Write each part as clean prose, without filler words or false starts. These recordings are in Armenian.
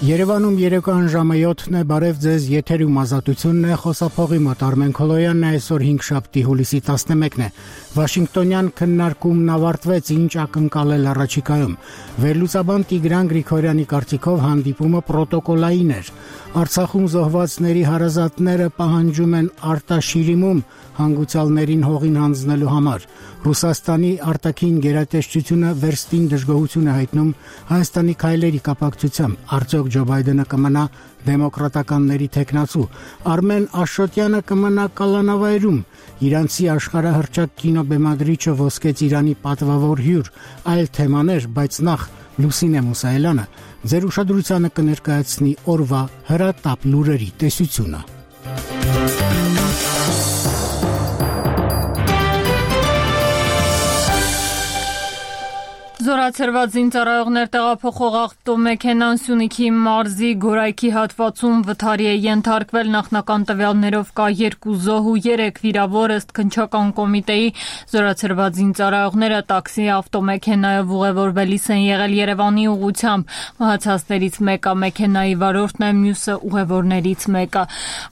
Երևանում երեկոյան ժամը 7-ն է, բարև ձեզ, եթերում ազատությունն է, խոսափողի մոտ Արմեն Քոլոյանն է, այսօր 5-շաբթի հուլիսի 11-ն է։ Վաշինգտոնյան քննարկումն ավարտվեց, ինչ ակնկալել առաջիկայում։ Վերլուծաբան Տիգրան Գրիգորյանի կարծիքով հանդիպումը պրոտոկոլային էր։ Արցախում զոհվածների հարազատները պահանջում են արտաշիրիմում հանգուցյալներին հողին հանձնելու համար։ Ռուսաստանի արտաքին գերատեսչությունը վերստին դժգոհություն է հայտնում Հայաստանի քայլերի կապակցությամբ։ Արդյոք Ջո Բայդենը կմնա դեմոկրատականների թեկնածու։ Արմեն Աշոտյանը կմնա կալանավայրում։ Իրանցի աշխարհահռչակ կինոբեմադրիչը ոսկեց Իրանի պատվավոր հյուր, այլ թեմաներ, բայց նախ Լուսինե Մուսայելյանը ձեր ուշադրությանը կներկայացնի օրվա հրատապ լուրերի տեսությունը։ Զորացրված զինծառայողներ տեղափոխող ավտոմեքենան Սյունիքի մարզի Գորայքի հատվածում վթարի է ենթարկվել, նախնական տվյալներով կա 2 զոհ ու 3 վիրավոր, ըստ քննչական կոմիտեի զորացրված զինծառայողները տաքսի ավտոմեքենայով ուղևորվելիս են եղել Երևանի ուղղությամբ, մահացածներից մեկը մեքենայի վարորդն է, մյուսը ուղևորներից մեկը։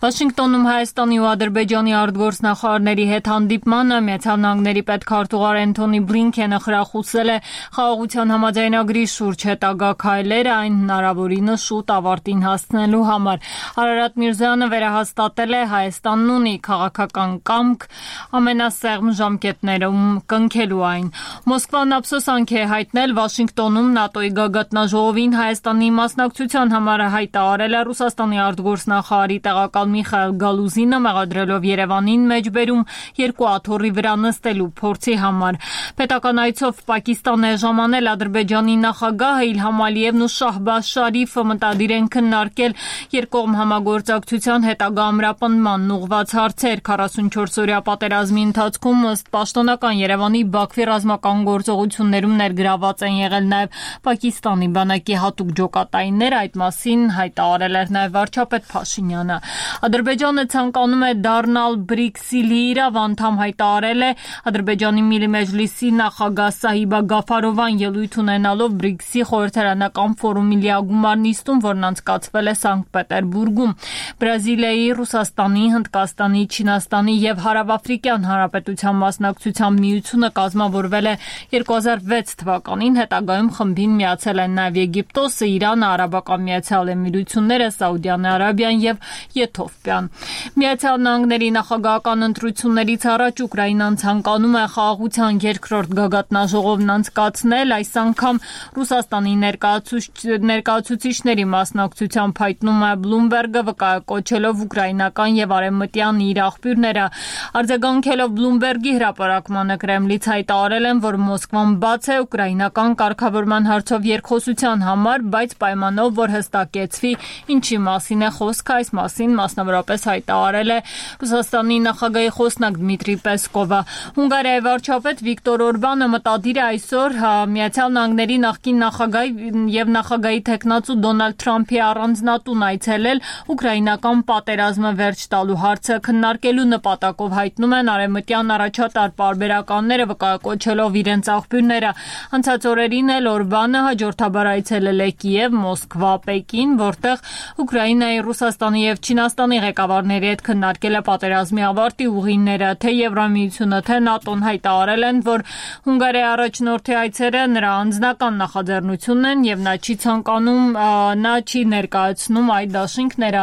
Վաշինգտոնում Հայաստանի ու Ադրբեջանի արտգործնախարարների հետ հանդիպմանը Միացյալ Նահանգների պետքարտուղար Էնթոնի Բլինքենը խրախուսել է խաղաղության համաձայնագրի շուրջ հետագա քայլերը այն հնարավորինս շուտ ավարտին հասցնելու համար։ Արարատ Միրզոյանը վերահաստատել է Հայաստանն ունի քաղաքական կամք ամենասեղմ ժամկետներում կնքելու այն։ Մոսկվան ափսոսանք է հայտնել Վաշինգտոնում ՆԱՏՕ-ի գագաթնաժողովին Հայաստանի մասնակցության համար հայտարարել է Ռուսաստանի արտգործնախարարի տեղակալ Միխայիլ Գալուզինը, մեղադրելով Երևանին մեջբերում 2 աթոռի վրա նստելու փորձի համար։ Պետական այցով Պակիստան է ժամանել Ադրբեջանի նախագահը Իլհամ Ալիևն ու Շահբազ Շարիֆը մտադիր են քննարկել երկկողմ համագործակցության հետագա ամրապնդման ուղղված հարցեր։ 44-օրյա պատերազմի ընթացքում ըստ պաշտոնական Երևանի Բաքվի ռազմական գործողություններում ներգրաված են եղել նաև Պակիստանի բանակի հատուկ ջոկատայիններ, այդ մասին հայտարարել էր նաև վարչապետ Փաշինյանը։ Ադրբեջանը ցանկանում է դառնալ BRICS-ի լիիրավ անդամ, հայտարարել է Ադրբեջանի Միլի Մեջլիսի նախագահ Սահիբա Գաֆարովան ելույթ ունենալով BRICS-ի խորհրդարանական ֆորումի լիագումար նիստում, որն անցկացվել է Սանկտ Պետերբուրգում։ Բրազիլիայի, Ռուսաստանի, Հնդկաստանի, Չինաստանի եւ Հարավաֆրիկյան Հանրապետության մասնակցությամբ միությունը կազմավորվել է 2006 թվականին, հետագայում խմբին միացել են նաեւ Եգիպտոսը, Իրանը, Արաբական Միացյալ Էմիրությունները, Սաուդյան Արաբիան եւ Եթովպիան։ Միացյալ Նահանգների նախագահական ընտրություններից առաջ Ուկրաինան ցանկանում է խաղաղության երկրորդ գագաթնաժողովն անցկացնել, այս անգամ Ռուսաստանի ներկայացուցիչների մասնակցությամբ հայտնում է Բլումբերգը, վկայակոչելով ուկրաինական եւ արևմտյան իր աղբյուրները։ Արձագանքելով Բլումբերգի հրապարակմանը Կրեմլից հայտարարել են, որ Մոսկվան բաց է ուկրաինական կարգավորման հարցով երկխոսության համար, բայց պայմանով, որ հստակեցվի ինչի մասին է խոսքը, այս մասին մասնավորապես հայտարարել է Ռուսաստանի նախագահի խոսնակ Դմիտրի Պեսկովը։ Հունգարիայի վարչապետ Վիկտոր Օրբանը մտադիր է այսօր Միացյալ Նահանգների նախկին նախագահ եւ նախագահի տեխնացու Դոնալդ Թրամփի առանձնատուն այցելել ուկրաինական պատերազմը վերջ տալու հարցը քննարկելու նպատակով, հայտնում են արևմտյան առաջատար պարբերականները, վկայակոչելով իրենց աղբյուրները։ Անցած օրերին էլ Օրբանը հաջորդաբար այցելել է Կիև, Մոսկվա, Պեկին, որտեղ Ուկրաինայի, Ռուսաստանի եւ Չինաստանի ղեկավարների հետ քննարկել է պատերազմի ավարտի ուղիները, թե Եվրամիությունը, թե ՆԱՏՕ-ն հայտարարել են, որ Հունգարիայի առաջնորդի այցերը նրա անձնական նախաձեռնությունն են եւ նա չի ներկայացնում այդ դաշինքները։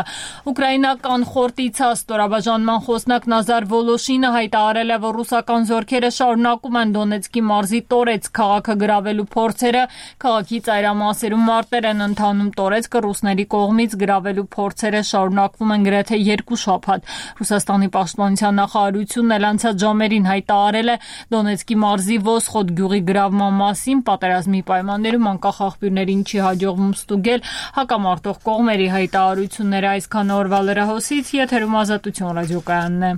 Ուկրաինական խորտիցա ստորաբաժանման խոսնակ Նազար Վոլոշինը հայտարարել է, որ ռուսական զորքերը շարունակում են Դոնեցկի մարզի Տորեցկ քաղաքը գրավելու փորձերը, քաղաքի ծայրամասերում մարտեր են ընթանում, Տորեցկը ռուսների կողմից գրավելու փորձերը շարունակվում են գրեթե 2 շաբաթ։ Ռուսաստանի պաշտպանության նախարարությունն էլ անցած ժամերին հայտարարել է Դոնեցկի մարզի Վոսխոդ գյուղի գրավման մասին, պատերազմի պայմաններում անկախ աղբյուրներին չի հաջողվում ստուգել հակամարտող կողմերի հայտարարությունները։ Այսքան օրվա լրահոսից, եթերում Ազատություն ռադիոկայանն է։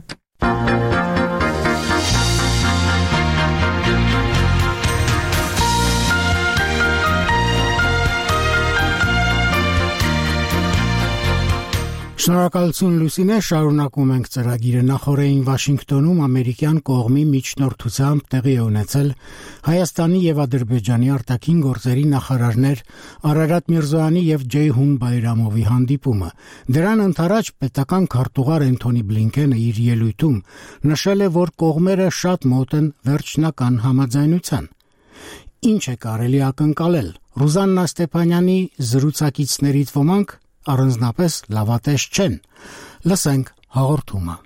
Շնորհակալություն Լուսինե, շարունակում ենք ծրագիրը։ Նախորդին Վաշինգտոնում ամերիկյան կողմի միջնորդությամբ տեղի է ունեցել Հայաստանի եւ Ադրբեջանի արտաքին գործերի նախարարներ Արարատ Միրզոյանի եւ Ջեյհուն Բայրամովի հանդիպումը։ Դրան ընդառաջ պետական քարտուղար Էնթոնի Բլինքենը իր ելույթում նշել է, որ կողմերը շատ մոտ են վերջնական համաձայնության։ Ինչ է կարելի ակնկալել։ Ռուզաննա Ստեփանյանի զրուցակիցներից ոմանք առանձնապես լավատես չեն։ Լսենք հաղորդումը։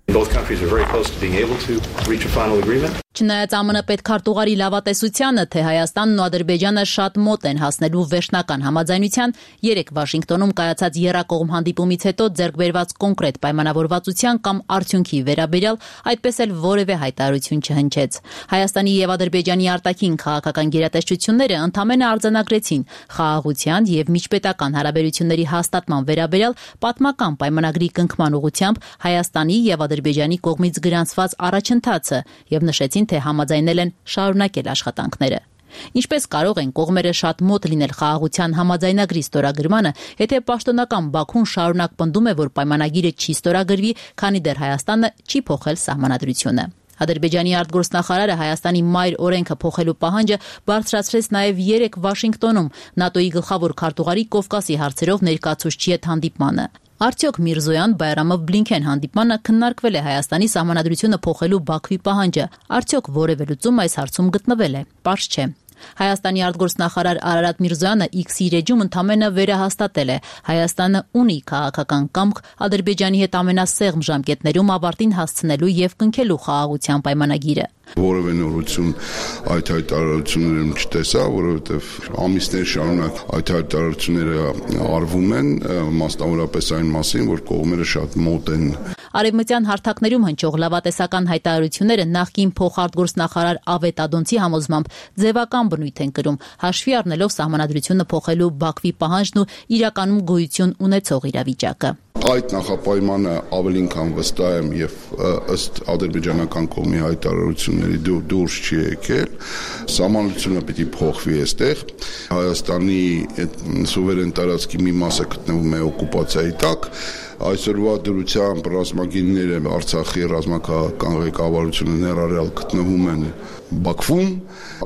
Both countries are very close to being able to reach a final agreement. Չնայած ԱՄՆ պետքարտուղարի լավատեսությանը, թե Հայաստանն ու Ադրբեջանը շատ մոտ են հասնելու վերջնական համաձայնության, երեկ Վաշինգտոնում կայացած եռակողմ հանդիպումից հետո ձեռք բերված կոնկրետ պայմանավորվածության կամ արդյունքի վերաբերյալ այդպես էլ որևէ հայտարարություն չհնչեց։ Հայաստանի եւ Ադրբեջանի արտաքին քաղաքական գերատեսչությունները ընդամենը արձանագրեցին խաղաղության եւ միջպետական հարաբերությունների հաստատման վերաբերյալ պատմական պայմանագրի կնքման ուղղությամբ Հայաստանի եւ Ադրբեջանի կողմից գրանցված առաջընթացը եւ նշեցին, թե համաձայնել են շարունակել աշխատանքները։ Ինչպես կարող են կողմերը շատ մոտ լինել խաղաղության համաձայնագրի ստորագրմանը, եթե պաշտոնական Բաքուն շարունակ պնդում է, որ պայմանագիրը չի ստորագրվի, քանի դեռ Հայաստանը չի փոխել սահմանադրությունը։ Ադրբեջանի արտգործնախարարը Հայաստանի մայր օրենքը փոխելու պահանջը բարձրացրեց նաև երեկ Վաշինգտոնում ՆԱՏՕ-ի գլխավոր քարտուղարի Կովկասի հարցերով ներկայացուցչի հետ հանդիպմանը։ Արդյոք Միրզոյան Բայրամով Բլինքեն հանդիպմանը քննարկվել է Հայաստանի սահմանադրությունը փոխելու Բաքվի պահանջը։ Արդյոք որևէ լուծում այս հարցում գտնվել է։ Պարզ չէ։ Հայաստանի արտգործնախարար Արարատ Միրզոյանը X-ի էջում ընդամենը վերահաստատել է. Հայաստանը ունի քաղաքական կամք Ադրբեջանի հետ ամենասեղմ ժամկետներում ավարտին հասցնելու եւ կնքելու խաղաղության պայմանագիրը։ Որևէ նորություն այդ հայտարարություններում չտեսա, որովհետև ամիսներ շարունակ այդ հայտարարությունները արվում են, մասնավորապես այն մասին, որ կողմերը շատ մոտ են։ Արևմտյան հարթակներում հնչող լավատեսական հայտարարությունները նախկին փոխարտգործնախարար Ավետ Ադոնցի համոզմամբ ձևական բնույթ են կրում, հաշվի առնելով սահմանադրությունը փոխելու Բաքվի պահանջն ու իրականում գոյություն ունեցող իրավիճակը։ Այդ նախապայմանը ավելին քան վստահ եմ եւ ըստ ադրբեջանական կողմի հայտարարությունների դուրս չի եկել, սահմանությունը պիտի փոխվի այստեղ։ Հայաստանի սուվերեն տարածքի մի մասը գտնվում է օկուպացիայի տակ։ Այսօրվա դրությամբ ռազմագինները Արցախի ռազմական ղեկավարությունը ներառյալ գտնվում են Բաքվում։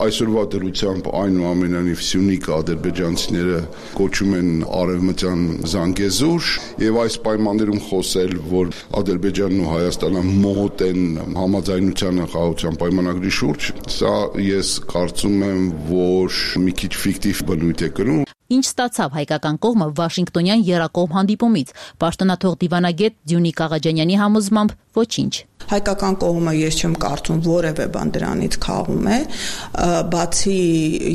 Այսօրվա դրությամբ այնուամենայնիվ Սյունիք ադրբեջանցիները կոչում են արևմտյան Զանգեզուր եւ այս պայմաններում խոսել, որ Ադրբեջանն ու Հայաստանը մոտ են համաձայնությանը խաղաղության պայմանագրի շուրջ, սա ես կարծում եմ, որ մի քիչ ֆիկտիվ բնույթ է կրում։ Ինչ ստացավ հայկական կողմը Վաշինգտոնյան եռակողմ հանդիպումից։ Պաշտոնաթող դիվանագետ Դյունիկ Աղաջանյանի համոզմամբ ոչինչ։ Հայկական կողմը ես չեմ կարծում որևէ բան դրանից քաղում է, բացի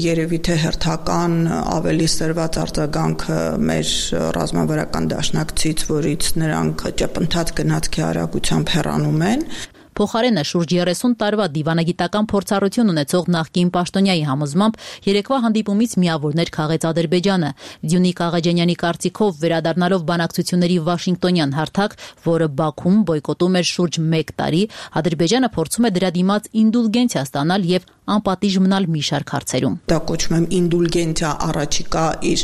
երևի թե հերթական ավելի սրված արձագանքը մեր ռազմավարական դաշնակցից, որից նրանք ճպընթաց գնացքի արագությամբ հեռանում են։ Փոխարենը շուրջ 30 տարվա դիվանագիտական փորձառություն ունեցող նախկին պաշտոնյայի համոզմամբ երեկվա հանդիպումից միավորներ քաղեց Ադրբեջանը։ Դյունիկ Աղաջանյանի կարծիքով վերադառնալով բանակցությունների Վաշինգտոնյան հարթակ, որը Բաքուն բոյկոտում էր շուրջ 1 տարի, Ադրբեջանը փորձում է դրա դիմաց ինդուլգենցիա ստանալ եւ անպատիժ մնալ մի շարք հարցերում։ Դա կոչում եմ ինդուլգենցիա առաջիկա իր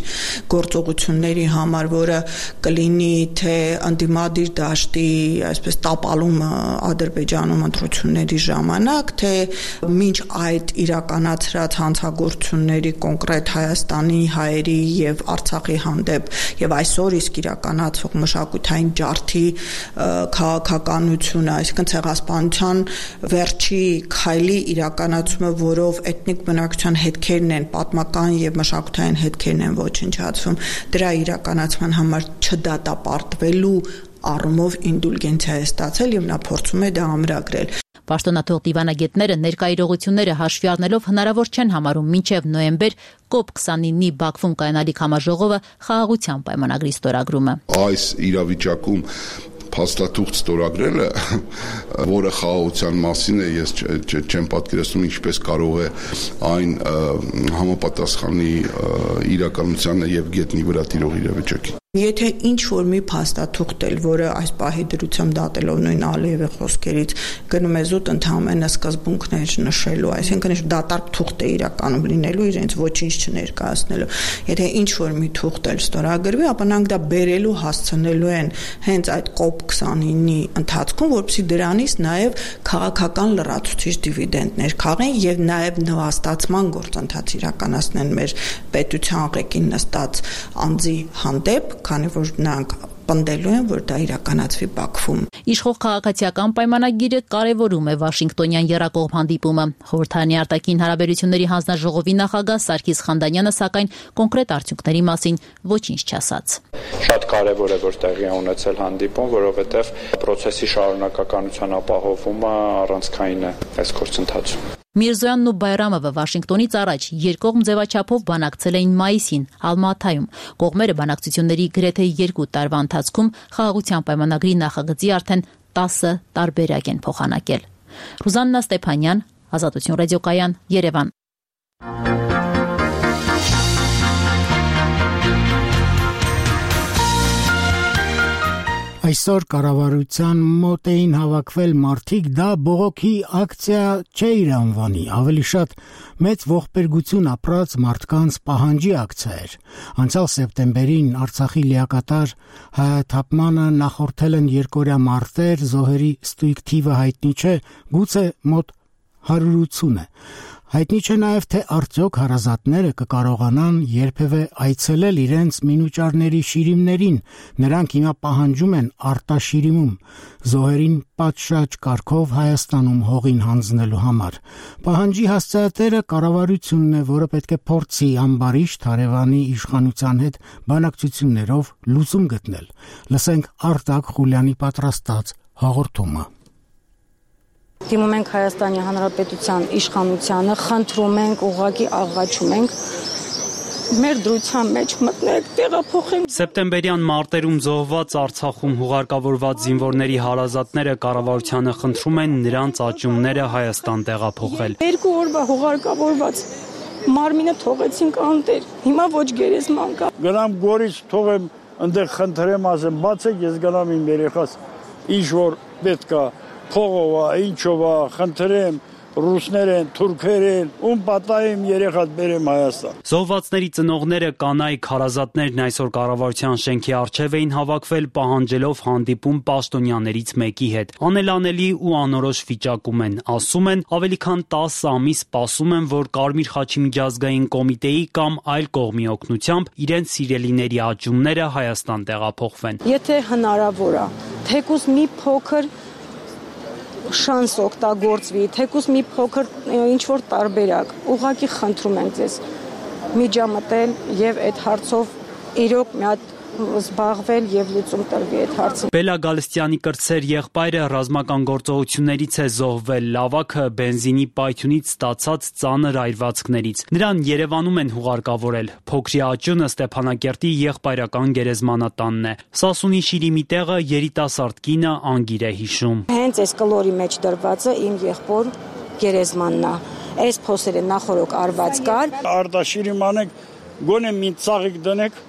գործողությունների համար, որը կլինի թե ընդդիմադիր դաշտի այսպես տապալումը Ադրբեջանում ընտրությունների ժամանակ, թե մինչ այդ իրականացրած հանցագործությունների կոնկրետ Հայաստանի, հայերի եւ Արցախի հանդեպ եւ այսօր իսկ իրականացվող մշակութային ջարդի քաղաքականությունը, այսինքն ցեղասպանության վերջի քայլի իրականացումը, որով էթնիկ բնակչության հետքերն են, պատմական եւ մշակութային հետքերն են ոչնչացվում, դրա իրականացման համար չդատապարտվելու առումով ինդուլգենցիա է ստացել եւ նա փորձում է դա ամրագրել։ Պաշտոնաթող դիվանագետները ներկա իրողությունները հաշվի առնելով հնարավոր չեն համարում մինչև նոյեմբեր COP29-ի Բաքվում կայանալիք համաժողովը խաղաղության պայմանագրի ստորագրումը։ Այս իրավիճակում փաստաթուղթ ստորագրելը, որը խաղաղության մասին է, ես չեմ պատկերացնում ինչպես կարող է այն համապատասխանի իրականությանը եւ գետնի վրա տիրող իրավիճակին։ Եթե ինչ-որ մի փաստաթուղթ էլ, որը այս պահի դրությամբ դատելով նույն Ալիևի խոսքերից գնում է զուտ ընդհանրապես սկզբունքներ նշելու, այսինքն դատարկ թուղթ է իրականում լինելու իրենց ոչինչ չներկայացնելու։ Եթե ինչ-որ մի թուղթ էլ ստորագրվի, ապա նրանք դա բերելու հասցնելու են հենց այդ COP29-ի ընթացքում, որպեսզի դրանից նաև քաղաքական լրացուցիչ դիվիդենդներ քաղեն եւ նաև նվաստացման գործընթաց իրականացնեն մեր պետության ղեկին նստած անձի հանդեպ, քանի որ նրանք պնդելու են, որ դա իրականացվի Բաքվում։ Իշխող քաղաքացիական պայմանագիրը կարևորում է Վաշինգտոնյան եռակողմ հանդիպումը։ Խորհրդարանի արտաքին հարաբերությունների հանձնաժողովի նախագահ Սարգիս Խանդանյանը սակայն կոնկրետ արդյունքների մասին ոչինչ չասաց։ Շատ կարևոր է, որ տեղի է ունեցել հանդիպում, որովհետև process-ի շարունակականության ապահովումը առանցքային է այս գործընթացում։ Միրզոյանն ու Բայրամովը Վաշինգտոնից առաջ երկկողմ ձևաչափով բանակցել էին մայիսին Ալմաթայում։ Կողմերը բանակցությունների գրեթե 2 տարվա ընթացքում խաղաղության պայմանագրի նախագծի արդեն 10 տարբերակ են փոխանակել։ Ռուզաննա Ստեփանյան, Ազատություն ռադիոկայան, Երևան։ Այսօր կառավարության մոտ էին հավաքվել մարդիկ, դա բողոքի ակցիա չէ իր անվանի, ավելի շատ մեծ ողբերգություն ապրած մարդկանց պահանջի ակցիա էր։ Անցյալ սեպտեմբերին Արցախի լիակատար հայաթափմանը նախորդել են երկօրյա մարտեր, զոհերի ստույգ թիվը հայտնի չէ, գուցե մոտ 180 է։ Հայտնի չէ նաև, թե արդյոք հարազատները կկարողանան երբևէ այցելել իրենց մինուճարների շիրիմներին, նրանք հիմա պահանջում են արտաշիրիմում, զոհերին պատշաճ կարգով Հայաստանում հողին հանձնելու համար։ Պահանջի հասցեատերը կառավարությունն է, որը պետք է փորձի ամբարիշտ հարևանի իշխանության հետ բանակցություններով լուծում գտնել։ Լսենք Արտակ Խուլյանի պատրաստած հաղորդումը։ Դիմում ենք Հայաստանի Հանրապետության իշխանությանը, խնդրում ենք, ուղղակի աղաչում ենք մեր դրության մեջ մտնեք, տեղափոխենք։ Սեպտեմբերյան մարտերում զոհված Արցախում հուղարկավորված զինվորների հարազատները կառավարությանը խնդրում են նրանց աճումները Հայաստան տեղափոխել։ 2 օրվա հուղարկավորված մարմինը թողեցինք անտեր, հիմա ոչ գերեզման կա։ Գնամ Գորից թողեմ, այնտեղ խնդրեմ, ասեմ, բացեք, ես գնամ իմ երեխաս, ինչ որ պետք է փողովա, ինչովա, խնդրեմ, ռուսներ են, թուրքեր են, ում պատահեմ երեխատ բերեմ Հայաստան։ Զոհվածների ծնողները, կանայք, հարազատներն այսօր կառավարության շենքի առջև էին հավաքվել, պահանջելով հանդիպում պաշտոնյաներից մեկի հետ։ Անելանելի ու անորոշ վիճակում են, ասում են, ավելի քան 10 ամիս սպասում են, որ Կարմիր խաչի միջազգային կոմիտեի կամ այլ կողմի օգնությամբ իրենց սիրելիների աճումները Հայաստան տեղափոխվեն։ Եթե հնարավոր է, թեկուզ մի փոքր շանս օգտագործվի, թեկուզ մի փոքր ինչ-որ տարբերակ, ուղղակի խնդրում ենք ձեզ միջամտել եւ այդ հարցով իրոք մի հատ զբաղվել եւ լուծում տրվի այդ հարցին։ Բելա Գալստյանի կրտսեր եղբայրը ռազմական գործողություններից է զոհվել, լավաքը բենզինի պայթյունից ստացած ծանր այրվածքներից։ Նրան Երևանում են հուղարկավորել։ Փոքրի աճյունը Ստեփանակերտի եղբայրական գերեզմանատանն է։ Սասունի շիրիմի տեղը երիտասարդ կինը Անգիր է հիշում։ Հենց այս կլորի մեջ դրվածը իմ եղբոր գերեզմանն է։ Այս փոսերը նախորոք արված կար։ Արտաշիրիմ անեք, գոնե մի ծաղիկ դնեք։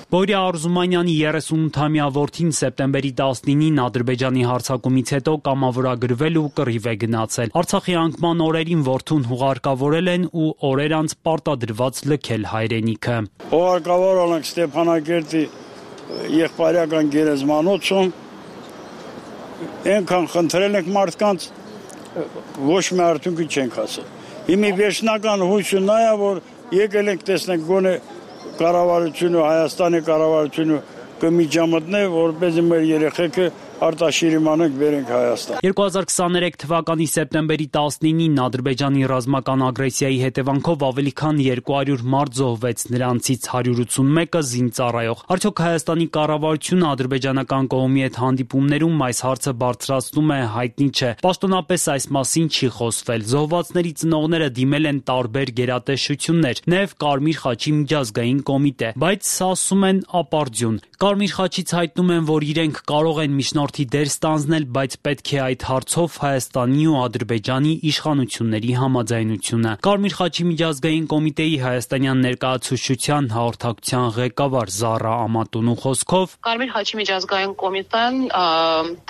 Բորյա Արզումանյանի 38-ամյա որդին սեպտեմբերի 19-ին Ադրբեջանի հարձակումից հետո կամավորագրվել ու կռիվ է գնացել։ Արցախի անկման օրերին որդուն հուղարկավորել են ու օրեր անց պարտադրված լքել հայրենիքը։ Հուղարկավորել ենք Ստեփանակերտի եղբայրական գերեզմանոցում, այնքան խնդրել ենք մարդկանց, ոչ մի արդյունքի չենք հասել։ Հիմի վերջնական հույսը նա է, որ եկել ենք տեսնենք գոնե կառավարությունը, Հայաստանի կառավարությունը կմիջամտնե, որպեսզի մեր երեխեքը արտաշիրիմանենք բերենք Հայաստան։ 2023 թվականի սեպտեմբերի 19-ին Ադրբեջանի ռազմական ագրեսիայի հետևանքով ավելի քան 200 մարդ զոհվեց, նրանցից 181-ը զինծառայող։ Արդյոք Հայաստանի կառավարությունը ադրբեջանական կողմի հետ հանդիպումներում այս հարցը բարձրացնում է, հայտնի չէ։ Պաշտոնապես այս մասին չի խոսվել։ Զոհվածների ծնողները դիմել են տարբեր գերատեսչություններ, նաև Կարմիր խաչի միջազգային կոմիտե, բայց ասում են ապարդյուն։ Կարմիր խաչից հայտնում են, որ իրենք կարող են միջնորդ միջնորդի դեր ստանձնել, բայց պետք է այդ հարցով Հայաստանի ու Ադրբեջանի իշխանությունների համաձայնությունը։ Կարմիր խաչի միջազգային կոմիտեի հայաստանյան ներկայացուցչության հաղորդակցության ղեկավար Զառա Ամատունու խոսքով Կարմիր խաչի միջազգային կոմիտեն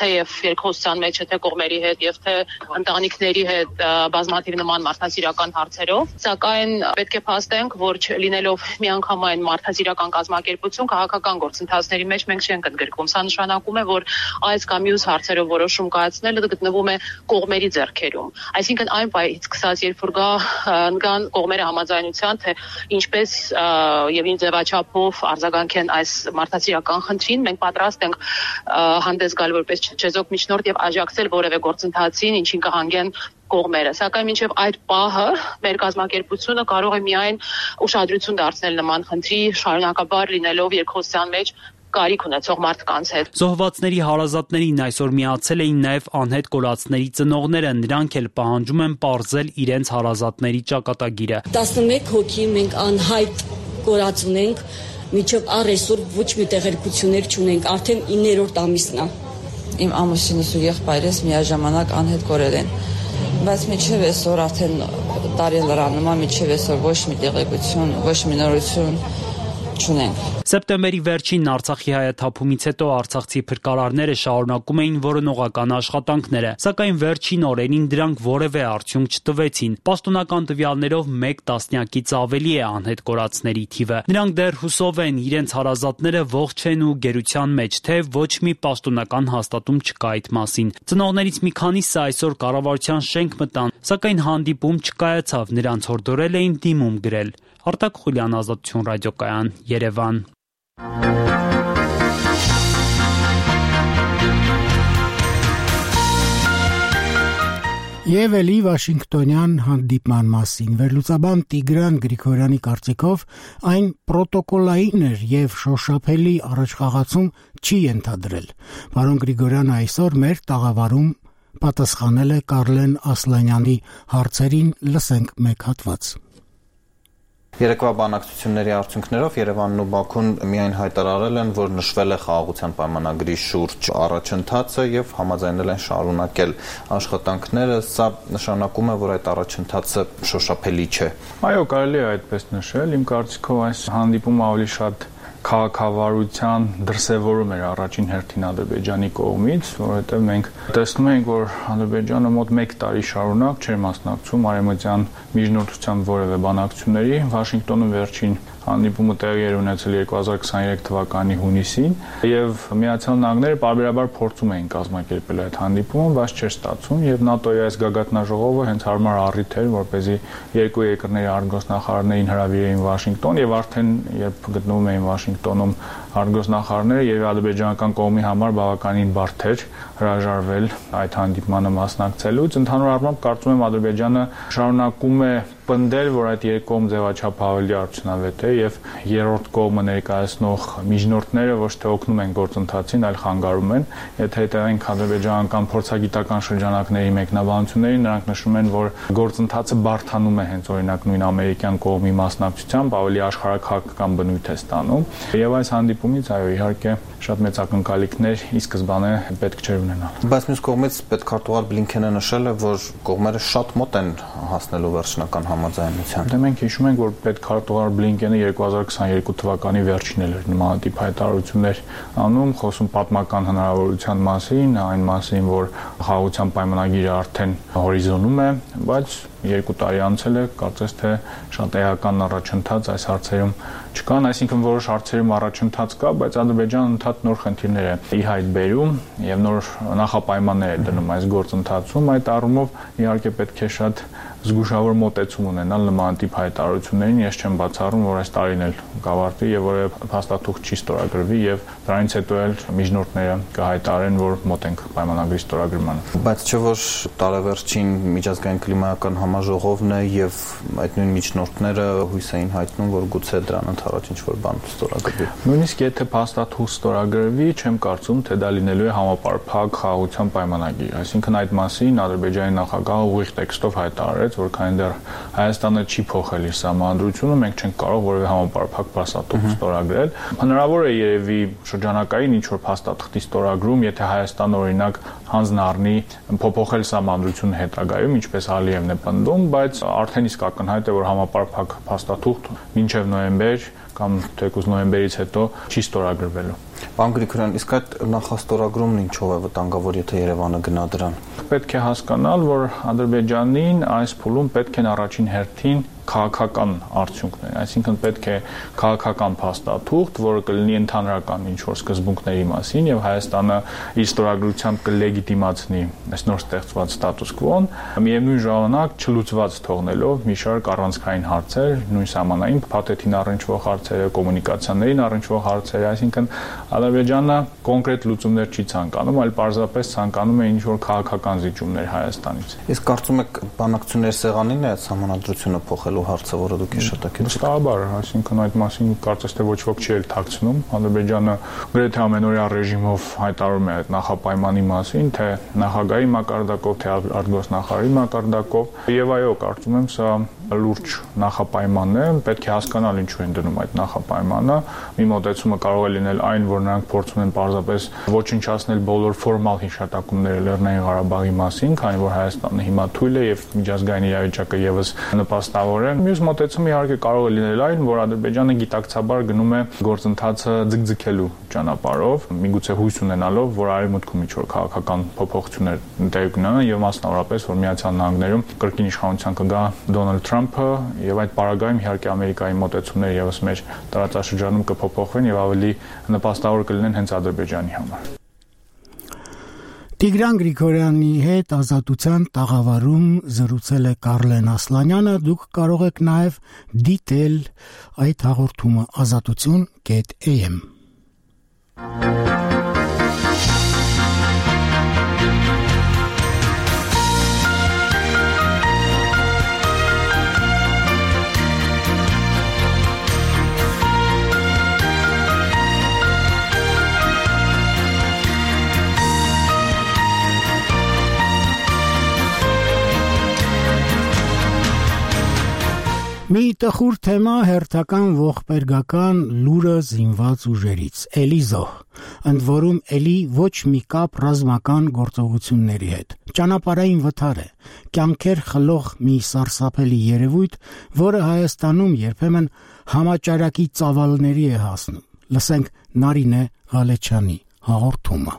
թեև երկխոսության մեջ է թե կողմերի հետ եւ թե ընտանիքների հետ բազմաթիվ նման մարդասիրական հարցերով, սակայն պետք է փաստենք, որ լինելով միանգամայն մարդասիրական կազմակերպություն քաղաքական գործընթացների մեջ մենք չենք ընդգրկվում։ Սա նշանակում է, որ այս կամ մյուս հարցերով որոշում կայացնելը գտնվում է կողմերի ձեռքերում։ Այսինքն այն պահից սկսած, երբ որ կան կողմերը համաձայնության, թե ինչպես եւ ինչ ձևաչափով արձագանքեն այս մարդասիրական խնդրին, մենք պատրաստ ենք հանդես գալ որպես չեզոք միջնորդ եւ աջակցել որևէ գործընթացին, ինչին կհանգեն կողմերը, սակայն մինչև այդ պահը մեր կազմակերպությունը կարող է միայն ուշադրություն դարձնել նման խնդրի շարունակաբար լինելով երկխոսության մեջ կարիք ունեցող մարդկանց հետ։ Զոհվածների հարազատներին այսօր միացել էին նաև անհետ կորածների ծնողները, նրանք էլ պահանջում են պարզել իրենց հարազատների ճակատագիրը։ 11 հոգի մենք անհայտ կորած ունենք, մինչև առ այսօր ոչ մի տեղեկություններ չունենք, արդեն 9-րդ ամիսն է։ Իմ ամուսինս ու եղբայրս միաժամանակ անհետ կորել են, բայց մինչև այսօր արդեն տարի լրանում է, մինչև այսօր ոչ մի տեղեկություն, ոչ մի նորություն չունենք։ Սեպտեմբերի վերջին Արցախի հայաթափումից հետո արցախցի փրկարարները շարունակում էին որոնողական աշխատանքները, սակայն վերջին օրերին դրանք որևէ արդյունք չտվեցին։ Պաշտոնական տվյալներով 1 տասնյակից ավելի է անհետ կորածների թիվը։ Նրանք դեռ հուսով են իրենց հարազատները ողջ են ու գերության մեջ, թե ոչ մի պաշտոնական հաստատում չկա այդ մասին։ Ծնողներից մի քանիսը այսօր կառավարության շենք մտան, սակայն հանդիպում չկայացավ, նրանց հորդորել էին դիմում գրել։ Արտակ Խուլյան, Ազատություն ռադիոկայան, Երևան։ Եվ էլի Վաշինգտոնյան հանդիպման մասին վերլուծաբան Տիգրան Գրիգորյանի կարծիքով այն պրոտոկոլային էր եւ շոշափելի առաջխաղացում չի ենթադրել։ Պարոն Գրիգորյանը այսօր մեր տաղավարում պատասխանել է Կարլեն Ասլանյանի հարցերին, լսենք մեկ հատված։ Երեկվա բանակցությունների արդյունքներով Երևանն ու Բաքուն միայն հայտարարել են, որ նշվել է խաղաղության պայմանագրի շուրջ առաջընթացը եւ համաձայնել են շարունակել աշխատանքները։ Սա նշանակում է, որ այդ առաջընթացը շոշափելի չէ։ Այո, կարելի է այդպես նշել։ Իմ կարծիքով այս հանդիպումը ավելի շատ քաղաքավարության դրսևորում էր առաջին հերթին Ադրբեջանի կողմից, որովհետև մենք տեսնում ենք, որ Ադրբեջանը մոտ 1 տարի շարունակ չէր մասնակցում արևմտյան միջնորդության որևէ բանակցությունների։ Վաշինգտոնում վերջին հանդիպումը տեղի էր ունեցել 2023 թվականի հունիսին եւ Միացյալ Նահանգները պարբերաբար փորձում էին կազմակերպել այդ հանդիպումը, բայց չէր ստացվում եւ ՆԱՏՕ-ի այս գագաթնաժողովը հենց հարմար առիթ էր, որպեսզի երկու երկրների արտգործնախարարներին հրավիրեին Վաշինգտոն եւ արդեն երբ գտնվում էին Վաշինգտոնում արտգործնախարարները եւ ադրբեջանական կողմի համար բավականին բարդ էր հրաժարվել այդ հանդիպմանը մասնակցելուց։ Ընդհանուր առմամբ կարծում եմ Ադրբեջանը շարունակում է պնդել, որ այդ երկկողմ ձևաչափը ավելի արդյունավետ է եւ երրորդ կողմը ներկայացնող միջնորդները ոչ թե օգնում են գործընթացին, այլ խանգարում են։ Եթե հետևենք ադրբեջանական փորձագիտական շրջանակների մեկնաբանություններին, նրանք նշում են, որ գործընթացը բարդանում է հենց օրինակ նույն ամերիկյան կողմի մասնակցությամբ, ավելի աշխարհաքաղաքական բնույթ է ստանում։ Եվ այս հանդիպումից այո, իհարկե շատ մեծ ակնկալիքներ ի սկզբանե պետք չէր ունենալ։ Բայց մյուս կողմից պետքարտուղար Բլինքենը նշել է, որ կողմերը շատ մոտ են հասնելու վերջնական համաձայնության։ Դե մենք հիշում ենք, որ պետքարտուղար Բլինքենը 2022 թվականի վերջին էր նմանատիպ հայտարարություններ անում, խոսում պատմական հնարավորության մասին, այն մասին, որ խաղաղության պայմանագիրը արդեն հորիզոնում է, բայց 2 տարի անցել է, կարծես թե շատ էական առաջընթաց այս հարցերում չկան, այսինքն որոշ հարցերում առաջընթաց կա, բայց Ադրբեջանը ընդհանուր նոր խնդիրներ է ի հայտ բերում եւ նոր նախապայմաններ է դնում այս գործընթացում։ Այդ առումով իհարկե պետք է շատ զգուշավոր մոտեցում ունենալ նմանատիպ հայտարարություններին։ Ես չեմ բացառում, որ այս տարին էլ կավարտվի եւ որևէ փաստաթուղթ չի ստորագրվի եւ դրանից հետո էլ միջնորդները կհայտարարեն, որ մոտ ենք պայմանագրի ստորագրմանը։ Բայց չէ՞ որ տարեվերջին միջազգային կլիմայական համաժողովն է եւ այդ նույն միջնորդները հույս էին հայտնում, որ գուցե դրան ընդառաջ ինչ-որ բան ստորագրվի։ Նույնիսկ եթե փաստաթուղթ ստորագրվի, չեմ կարծում, թե դա լինելու է համապարփակ խաղաղության պայմանագիր։ Այսինքն այդ մասին Ադրբեջանի նախագահը ուղիղ տեքստով հայտարարեց, հայտարարեց, որ քանի դեռ Հայաստանը չի փոխել իր սահմանադրությունը, մենք չենք կարող որևէ համապարփակ փաստաթուղթ ստորագրել։ Հնարավոր է երևի շրջանակային ինչ-որ փաստաթղթի ստորագրում, եթե Հայաստանը օրինակ հանձնառնի փոփոխել սահմանադրությունը հետագայում, ինչպես Ալիևն է պնդում, բայց արդեն իսկ ակնհայտ է, որ համապարփակ փաստաթուղթ մինչև նոյեմբեր կամ թեկուզ նոյեմբերից հետո չի ստորագրվելու։ Պարոն Գրիգորյան, իսկ այդ նախաստորագրումն ինչով է վտանգավոր, եթե Երևանը գնա դրան։ Պետք է հասկանալ, որ Ադրբեջանին այս փուլում պետք են առաջին հերթին քաղաքական արդյունքներ, այսինքն պետք է քաղաքական փաստաթուղթ, որը կլինի ընդհանրական ինչ-որ սկզբունքների մասին եւ Հայաստանը իր ստորագրությամբ կլեգիտիմացնի այս նոր ստեղծված ստատուս կվոն, միևնույն ժամանակ չլուծված թողնելով մի շարք առանցքային հարցեր, նույն սահմանային փաթեթին առնչվող հարցերը, կոմունիկացիաներին առնչվող հարցերը, այսինքն Ադրբեջանը կոնկրետ լուծումներ չի ցանկանում, այլ պարզապես ցանկանում է ինչ-որ քաղաքական զիջումներ Հայաստանից։ Իսկ կարծում եք բանակցությունների սեղանին է սահմանադրությունը փոխել հարցը, որը դուք հիշատակեցիք։ Վստահաբար, այսինքն այդ մասին կարծես թե ոչ ոք չի էլ թաքցնում։ Ադրբեջանը գրեթե ամենօրյա ռեժիմով հայտարարում է այդ նախապայմանի մասին, թե նախագահի մակարդակով, թե արտգործնախարարի մակարդակով։ Եվ այո, կարծում եմ սա լուրջ նախապայման է, պետք է հասկանալ ինչու են դնում այդ նախապայմանը։ Մի մոտեցումը կարող է լինել այն, որ նրանք փորձում են պարզապես ոչնչացնել բոլոր ֆորմալ հիշատակումները Լեռնային Ղարաբաղի մասին, քանի որ Հայաստանը հիմա թույլ է եւ միջազգային իրավիճակը եւս նպաստավոր է։ Մյուս մոտեցումը իհարկե կարող է լինել այն, որ Ադրբեջանը գիտակցաբար գնում է գործընթացը ձգձգելու ճանապարհով, միգուցե հույս ունենալով, որ արևմուտքում ինչ-որ քաղաքական փոփոխություններ տեղի կունենան եւ մասնավորապես, որ Միացյալ Նահանգներում կրկին իշխանության կգա Դոնալդ Թրամփը եւ այդ պարագայում իհարկե Ամերիկայի մոտեցումները եւս մեր տարածաշրջանում կփոփոխվեն եւ ավելի նպաստավոր կլինեն հենց Ադրբեջանի համար։ Տիգրան Գրիգորյանի հետ Ազատության տաղավարում զրուցել է Կարլեն Ասլանյանը, դուք կարող եք նաև դիտել այդ հաղորդումը azatutun.am։ Մի տխուր թեմա հերթական ողբերգական լուրը զինված ուժերից, էլի զոհ, ընդ որում էլի ոչ մի կապ ռազմական գործողությունների հետ։ Ճանապարհային վթար է, կյանքեր խլող մի սարսափելի երևույթ, որը Հայաստանում երբեմն համաճարակի ծավալների է հասնում։ Լսենք Նարինե Ղալեչյանի հաղորդումը։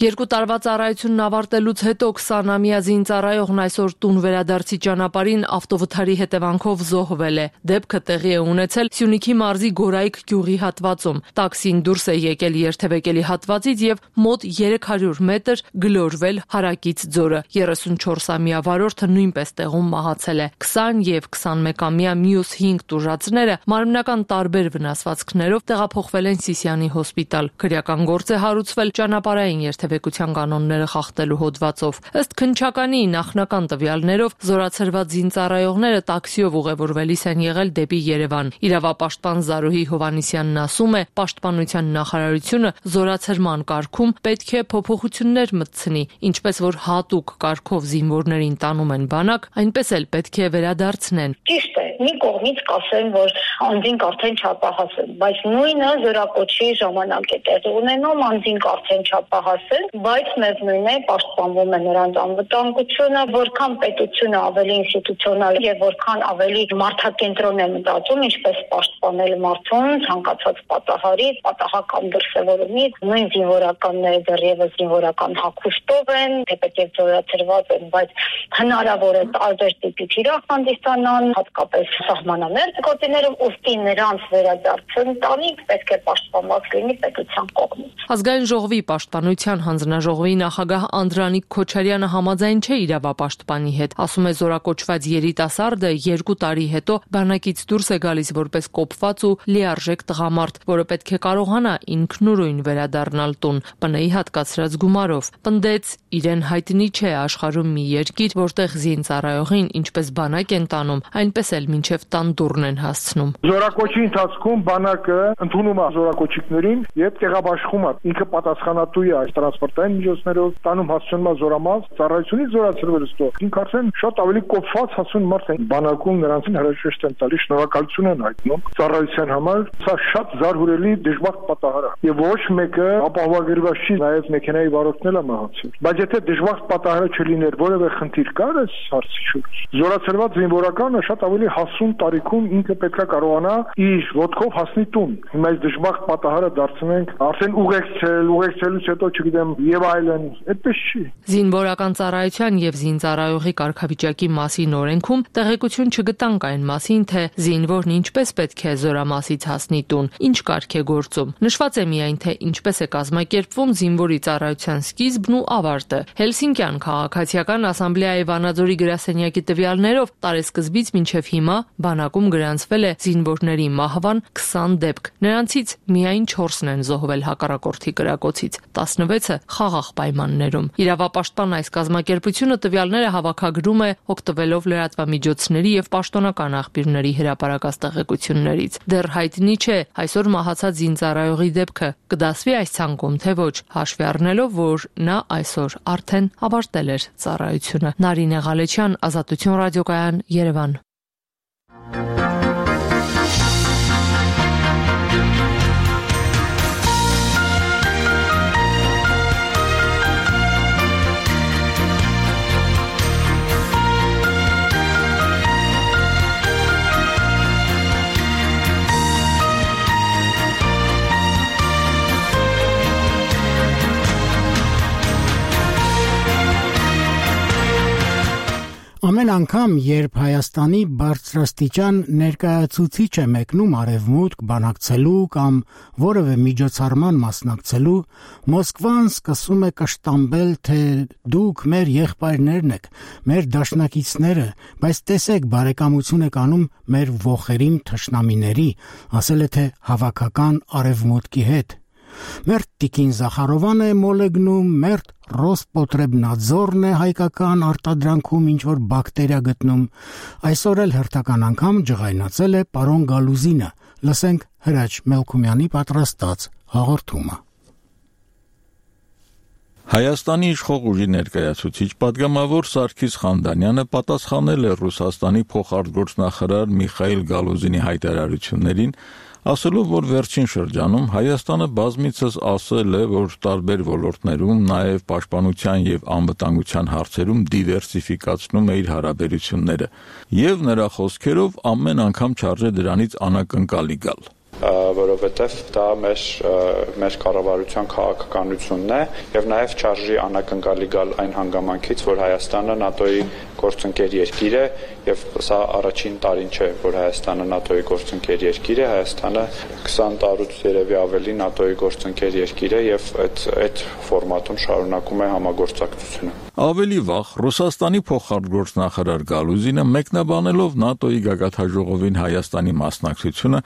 2 տարվա ծառայությունն ավարտելուց հետո 20-ամյա զինծառայողն այսօր տուն վերադարձի ճանապարհին ավտովթարի հետևանքով զոհվել է։ Դեպքը տեղի է ունեցել Սյունիքի մարզի Գորայք գյուղի հատվածում։ Տաքսին դուրս է եկել երթևեկելի հատվածից եւ մոտ 300 մետր գլորվել հարակից ձորը։ 34-ամյա վարորդը նույնպես տեղում մահացել է։ 20 եւ 21-ամյա մյուս 5 տուժածները մարմնական տարբեր վնասվածքներով տեղափոխվել են Սիսիանի հոսպիտալ։ Քրեական գործ է հարուցվել ճանապարհային երթևեկության կանոնները խախտելու հոդվածով։ Ըստ քննչականի նախնական տվյալներով զորացրված զինծառայողները տաքսիով ուղևորվելիս են եղել դեպի Երևան։ Իրավապաշտպան Զարուհի Հովանիսյանն ասում է, Պաշտպանության նախարարությունը զորացրման կարգում պետք է փոփոխություններ մտցնի, ինչպես որ հատուկ կարգով զինվորներին տանում են բանակ, այնպես էլ պետք է վերադարձնեն։ Ճիշտ է, մի կողմից կասեն, որ անձինք արդեն չափահաս են, բայց նույնը զորակոչի ժամանակ է տեղի ունենում, անձինք արդեն չափահաս են, բայց միևնույն է պաշտպանվում է նրանց անվտանգությունը, որքան պետությունը ավելի ինստիտուցիոնալ եւ որքան ավելի մարդակենտրոն է մտածում, ինչպես պաշտպանել մարդուն ցանկացած պատահարից, պատահական դրսևորումից, նույն զինվորականները դեռևս զինվորական հագուստով են, թեպետ զորացրված են, բայց հնարավոր է տարբեր տիպի թիրախ հանդիսանան, հատկապես սահմանամերձ գոտիներում, ուստի նրանց վերադարձն տանիք պետք է պաշտպանված լինի պետության կողմից։ Ազգային ժողովի պաշտպանության հանձնաժողովի նախագահ Անդրանիկ Քոչարյանը համաձայն չէ իրավապաշտպանի հետ, ասում է զորակոչված երիտասարդը 2 տարի հետո բանակից դուրս է գալիս որպես կոփված ու լիարժեք տղամարդ, որը պետք է կարողանա ինքնուրույն վերադառնալ տուն, ՊՆ-ի հատկացրած գումարով։ Պնդեց, իրեն հայտնի չէ աշխարհում մի երկիր, որտեղ զինծառայողին ինչպես բանակ են տանում, այնպես էլ մինչև տան դուռն են հասցնում։ Զորակոչի ընթացքում բանակը ընդունում է զորակոչիկներին եւ տեղաբաշխում է։ Ինքը պատասխանատու է այս տրանսպորտային միջոցներով, տանում հասցնում է զորամաս, ծառայությունից զորացրվել ստո։ Ինքը արդեն շատ ավելի կոփված հասուն մարդ է։ Բանակում նրանցին հրաժեշտ են տալիս, շնորհակալություն են հայտնում ծառայության համար։ Սա շատ զարհուրելի դժբախտ պատահար է։ Եվ ոչ մեկը ապահովագրված չի, նաեւ մեքենայի վարորդն էլ է մահացել։ Բայց եթե դժբախտ պատահարը չլիներ, որևէ խնդիր կար այս հարցի շուրջ, զորացրված զինվորականը շատ ավելի հասուն տարիքում ինքը պետքա կարողանա իր ոտքով հասնի տուն։ Հիմա այս դժբախտ պատահարը դարձնենք արդեն ուղեկցելուց հետո չգիտեմ եւ այլն, այդպես չի։ Զինվորական ծառայության եւ զինծառայողի կարգավիճակի մասին օրենքում տեղեկություն չգտանք այն մասին, թե զինվորն ինչպես պետք է զորամասից հասնի տուն, ինչ կարգ է գործում։ Նշված է միայն, թե ինչպես է կազմակերպվում զինվորի ծառայության սկիզբն ու ավարտը։ Հելսինկյան քաղաքացիական ասամբլեայի Վանաձորի գրասենյակի տվյալներով տարեսկզբից մինչև հիմա բանակում գրանցվել է զինվորների մահվան 20 դեպք։ Նրանցից միայն 4-ն են զոհվել հակառակորդի կրակոցից, 16-ը խաղաղ պայմաններում։ Իրավապաշտպան այս կազմակերպությունը տվյալները հավաքագրում է օգտվելով լրատվամիջոցների եւ պաշտոնական աղբյուրների հրապարակած տեղեկություններից։ Դեռ հայտնի չէ այսօր մահացած զինծառայողի դեպքը կդասվի այս ցանկում, թե ոչ, հաշվի առնելով, որ նա այսօր արդեն ավարտել էր ծառայությունը։ Նարինե Ղալեչյան, Ազատություն ռադիոկայան, Երևան։ Ամեն անգամ, երբ Հայաստանի բարձրաստիճան ներկայացուցիչ է մեկնում արևմուտք բանակցելու կամ որևէ միջոցառման մասնակցելու, Մոսկվան սկսում է կշտամբել, թե դուք մեր եղբայրներն եք, մեր դաշնակիցները, բայց տեսեք բարեկամություն եք անում մեր ոխերիմ թշնամիների, ասել է թե հավաքական արևմուտքի հետ։ Մերտ Տիկին Զախարովան է մոլեգնում, մերտ Ռոսպոտրեբնadzորն է հայկական արտադրանքում ինչ-որ բակտերիա գտնում։ Այսօր էլ հերթական անգամ ջղայնացել է պարոն Գալուզինը։ Լսենք Հրաչ Մելքումյանի պատրաստած հաղորդումը։ Հայաստանի իշխող ուժի ներկայացուցիչ պատգամավոր Սարգիս Խանդանյանը պատասխանել է Ռուսաստանի փոխարտգործնախարար Միխայիլ Գալուզինի հայտարարություններին, ասելով, որ վերջին շրջանում Հայաստանը բազմիցս ասել է, որ տարբեր ոլորտներում, նաև պաշտպանության եւ անվտանգության հարցերում դիվերսիֆիկացնում է իր հարաբերությունները, եւ նրա խոսքերով ամեն անգամ չարժե դրանից անակնկալի գալ։ Որովհետև դա մեր կառավարության քաղաքականությունն է եւ նաեւ չարժի անակնկալի գալ այն հանգամանքից, որ Հայաստանը ՆԱՏՕ-ի գործընկեր երկիր է եւ սա առաջին տարին չէ, որ Հայաստանը ՆԱՏՕ-ի գործընկեր երկիր է, Հայաստանը 20 տարուց երևի ավելի ՆԱՏՕ-ի գործընկեր երկիր է եւ այդ ֆորմատում շարունակում է համագործակցությունը։ Ավելի վաղ Ռուսաստանի փոխարտգործնախարար Գալուզինը մեկնաբանելով ՆԱՏՕ-ի գագաթնաժողովին Հայաստանի մասնակցությունը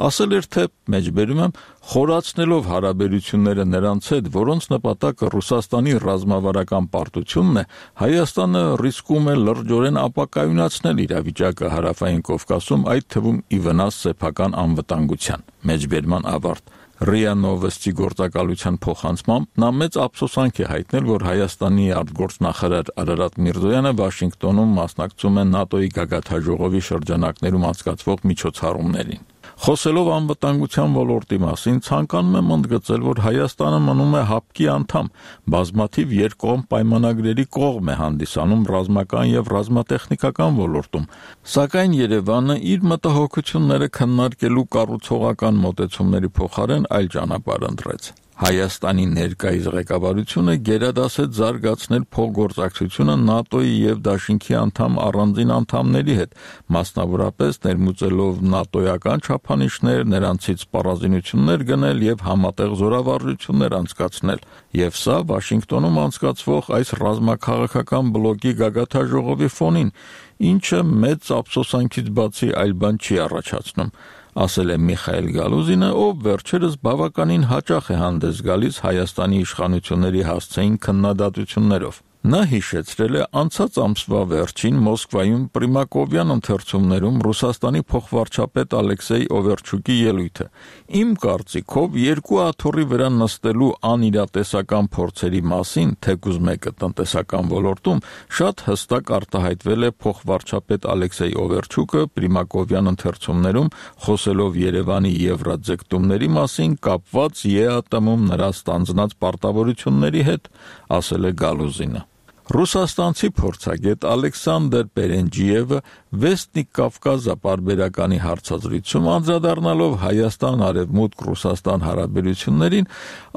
ասել էր, թե մեջբերում եմ խորացնելով հարաբերությունները նրանց հետ, որոնց նպատակը Ռուսաստանի ռազմավարական պարտությունն է, Հայաստանը ռիսկում է լրջորեն ապակայունացնել իրավիճակը Հարավային Կովկասում, այդ թվում ի վնաս սեփական անվտանգության։ Մեջբերման ավարտ։ ՌԻԱ Նովոստի գործակալության փոխանցմամբ նա մեծ ափսոսանք է հայտնել, որ Հայաստանի արտգործնախարար Արարատ Միրզոյանը Վաշինգտոնում մասնակցում է ՆԱՏՕ-ի գագաթնաժողովի շրջանակներում անցկացվող միջոցառումներին։ Խոսելով անվտանգության ոլորտի մասին, ցանկանում եմ ընդգծել, որ Հայաստանը մնում է ՀԱՊԿ-ի անդամ, բազմաթիվ երկկողմ պայմանագրերի կողմ է հանդիսանում ռազմական եւ ռազմատեխնիկական ոլորտում, սակայն Երևանը իր մտահոգությունները քննարկելու կառուցողական մոտեցումների փոխարեն այլ ճանապարհ ընտրեց։ Հայաստանի ներկայիս ղեկավարությունը գերադասեց զարգացնել փոխգործակցությունը ՆԱՏՕ-ի եւ Դաշինքի անդամ առանձին անդամների հետ, մասնավորապես ներմուծելով ՆԱՏՕ-ական չափանիշներ, նրանցից սպառազինություններ գնել եւ համատեղ զորավարժություններ անցկացնել։ Եվ սա Վաշինգտոնում անցկացվող այս ռազմաքաղաքական բլոկի գագաթնաժողովի ֆոնին, ինչը մեծ ափսոսանքից բացի այլ բան չի առաջացնում, ասել է Միխայիլ Գալուզինը, ով վերջերս բավականին հաճախ է հանդես գալիս Հայաստանի իշխանությունների հասցեին քննադատություններով։ Նա հիշեցրել է անցած ամսվա վերջին Մոսկվայում Պրիմակովյան ընթերցումներում Ռուսաստանի փոխվարչապետ Ալեքսեյ Օվերչուկի ելույթը։ Իմ կարծիքով երկու աթոռի վրա նստելու անիրատեսական փորձերի մասին, թեկուզ մեկը տնտեսական ոլորտում, շատ հստակ արտահայտվել է փոխվարչապետ Ալեքսեյ Օվերչուկը Պրիմակովյան ընթերցումներում խոսելով Երևանի եվրաձգտումների մասին կապված ԵԱՏՄ-ում նրա ստանձնած պարտավորությունների հետ, ասել է Գալուզինը։ Ռուսաստանցի փորձագետ Ալեքսանդր Պերենջիևը Վեստնիկ Կավկազա պարբերականի հարցազրույցում անդրադառնալով Հայաստան-Արևմուտք-Ռուսաստան հարաբերություններին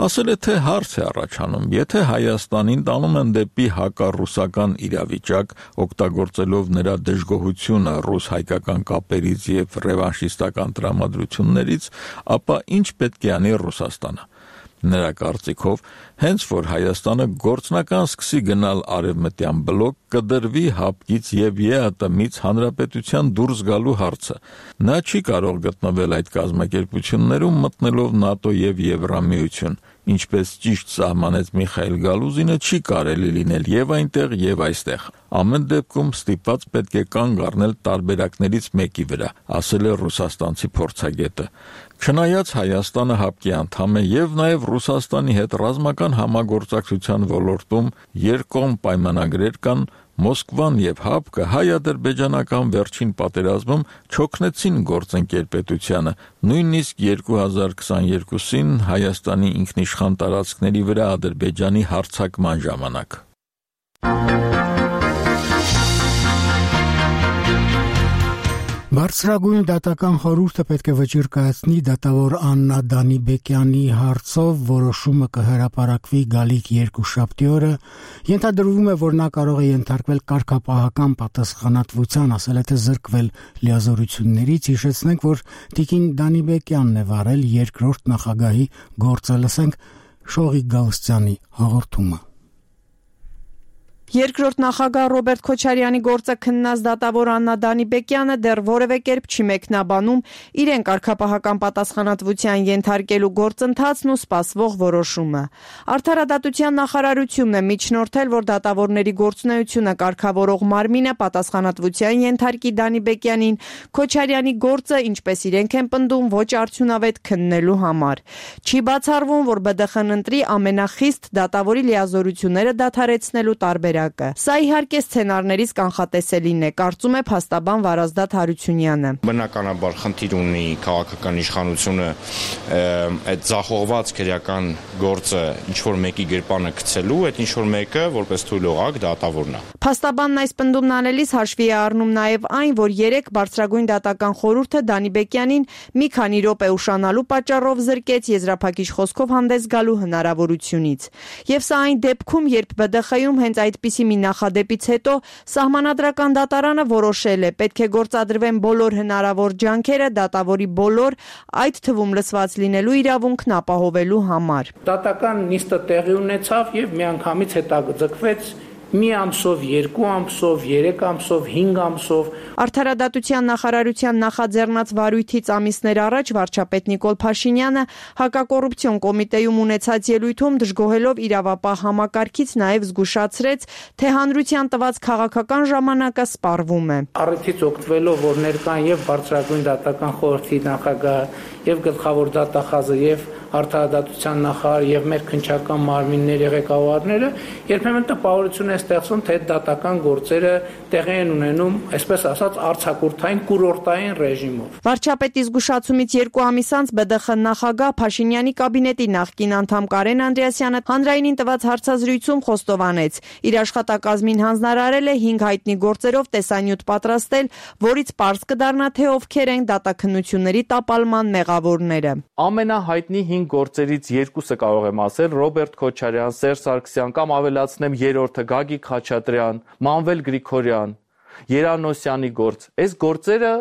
ասել է, թե հարց է առաջանում, եթե Հայաստանին տանում են դեպի հակառուսական իրավիճակ, օգտագործելով նրա դժգոհությունը ռուս-հայկական կապերից եւ ռևանշիստական տրամադրություններից, ապա ինչ պետք է անի Ռուսաստանը։ Նրա կարծիքով, հենց որ Հայաստանը գործնական սկսի գնալ արևմտյան բլոկ, կդրվի հապկից եւ ԵԱՏՄ-ից հանրապետության դուրս գալու հարցը։ Նա չի կարող գտնվել այդ կազմակերպություններում մտնելով ՆԱՏՕ եւ Եվրամիություն, ինչպես ճիշտ սահմանեց Միխայիլ Գալուզինը, չի կարելի լինել եւ այնտեղ եւ այստեղ։ Ամեն դեպքում ստիպված պետք է կանգ առնել տարբերակներից մեկի վրա, ասել է ռուսաստանցի փորձագետը։ Չնայած Հայաստանը հապկի անդամ է եւ նաեւ Ռուսաստանի հետ ռազմական համագործակցության ոլորտում երկկողմ պայմանագրեր կան, Մոսկվան եւ հապկը հայ-ադրբեջանական վերջին պատերազմում չօգնեցին գործընկերպետությանը, նույնիսկ 2022-ին Հայաստանի ինքնիշխան տարածքների վրա Ադրբեջանի հարձակման ժամանակ։ Բարձրագույն դատական խորհուրդը պետք է վճիռ կայացնի դատավոր Աննա Դանիբեկյանի հարցով, որոշումը կհրապարակվի գալիք երկուշաբթի օրը։ Ենթադրվում է, որ նա կարող է ենթարկվել կարգապահական պատասխանատվության, ասել է, թե զրկվել լիազորություններից։ Հիշեցնենք, որ տիկին Դանիբեկյանն է վարել երկրորդ նախագահի գործը։ Լսենք Շողիկ Գալստյանի հաղորդումը։ Երկրորդ նախագահ Ռոբերտ Քոչարյանի գործը քննած դատավոր Աննա Դանիբեկյանը դեռ որևէ կերպ չի մեկնաբանում իրեն կարգապահական պատասխանատվության ենթարկելու գործընթացն ու սպասվող որոշումը։ Արդարադատության նախարարությունն է միջնորդել, որ դատավորների գործունեությունը կարգավորող մարմինը պատասխանատվության ենթարկի Դանիբեկյանին Քոչարյանի գործը, ինչպես իրենք են պնդում, ոչ արդյունավետ քննելու համար։ Չի բացառվում, որ ԲԴԽ-ն ընտրի ամենախիստ դատավորի լիազորությունները դադարեցնելու տարբերակ։ Սա իհարկե սցենարներից կանխատեսելին է, կարծում է փաստաբան Վարազդատ Հարությունյանը։ Բնականաբար խնդիր ունի քաղաքական իշխանությունը այդ ձախողված քրեական գործը ինչ-որ մեկի գրպանը գցելու, այդ ինչ-որ մեկը որպես թույլ օղակ դատավորն է։ Փաստաբանն այս պնդումն անելիս հաշվի է առնում նաև այն, որ երեք բարձրագույն դատական խորհուրդը Դանիբեկյանին մի քանի րոպե ուշանալու պատճառով զրկեց եզրափակիչ խոսքով հանդես գալու հնարավորությունից։ Եվ սա այն դեպքում, երբ ԲԴԽ-ում հենց այդպիսի մի նախադեպից հետո Սահմանադրական դատարանը որոշել է, պետք է գործադրվեն բոլոր հնարավոր ջանքերը դատավորի բոլոր, այդ թվում լսված լինելու իրավունքն ապահովելու համար։ Դատական նիստը տեղի ունեցավ եւ միանգամից հետաձգվեց մի ամսով, 2 ամսով, 3 ամսով, 5 ամսով։ Արդարադատության նախարարության նախաձեռնած վարույթից ամիսներ առաջ վարչապետ Նիկոլ Փաշինյանը հակակոռուպցիոն կոմիտեում ունեցած ելույթում դժգոհելով իրավապահ համակարգից նաև զգուշացրեց, թե հանրության տված քաղաքական ժամանակը սպառվում է։ Առիթից օգտվելով, որ ներկան եւ բարձրագույն դատական խորհրդի նախագահ եւ գլխավոր դատախազը եւ արդարադատության նախարար եւ մեր քննչական մարմինների ղեկավարները երբեմն տպավորություն է ստեղծում, թե դատական գործերը տեղի են ունենում, այսպես ասած, արձակուրդային կուրորտային ռեժիմով։ Վարչապետի զգուշացումից 2 ամիս անց ԲԴԽ նախագահ Փաշինյանի կաբինետի նախկին անդամ Կարեն Անդրեասյանը հանրայինին տված հարցազրույցում խոստովանեց, իր աշխատակազմին հանձնարարել է 5 հայտնի գործերով տեսանյութ պատրաստել, որից պարզ կդառնա, թե ովքեր են դատաքննությունների տապալման մեղավորները։ Ամենահայտնի 5 գործերից 2-ը կարող եմ ասել Ռոբերտ Քոչարյան, Սերժ Սարգսյան կամ ավելացնեմ 3-ը Գագիկ Խաչատրյան, Մանվել Գրիգորյան, Երանոսյանի գործ։ Այս գործերը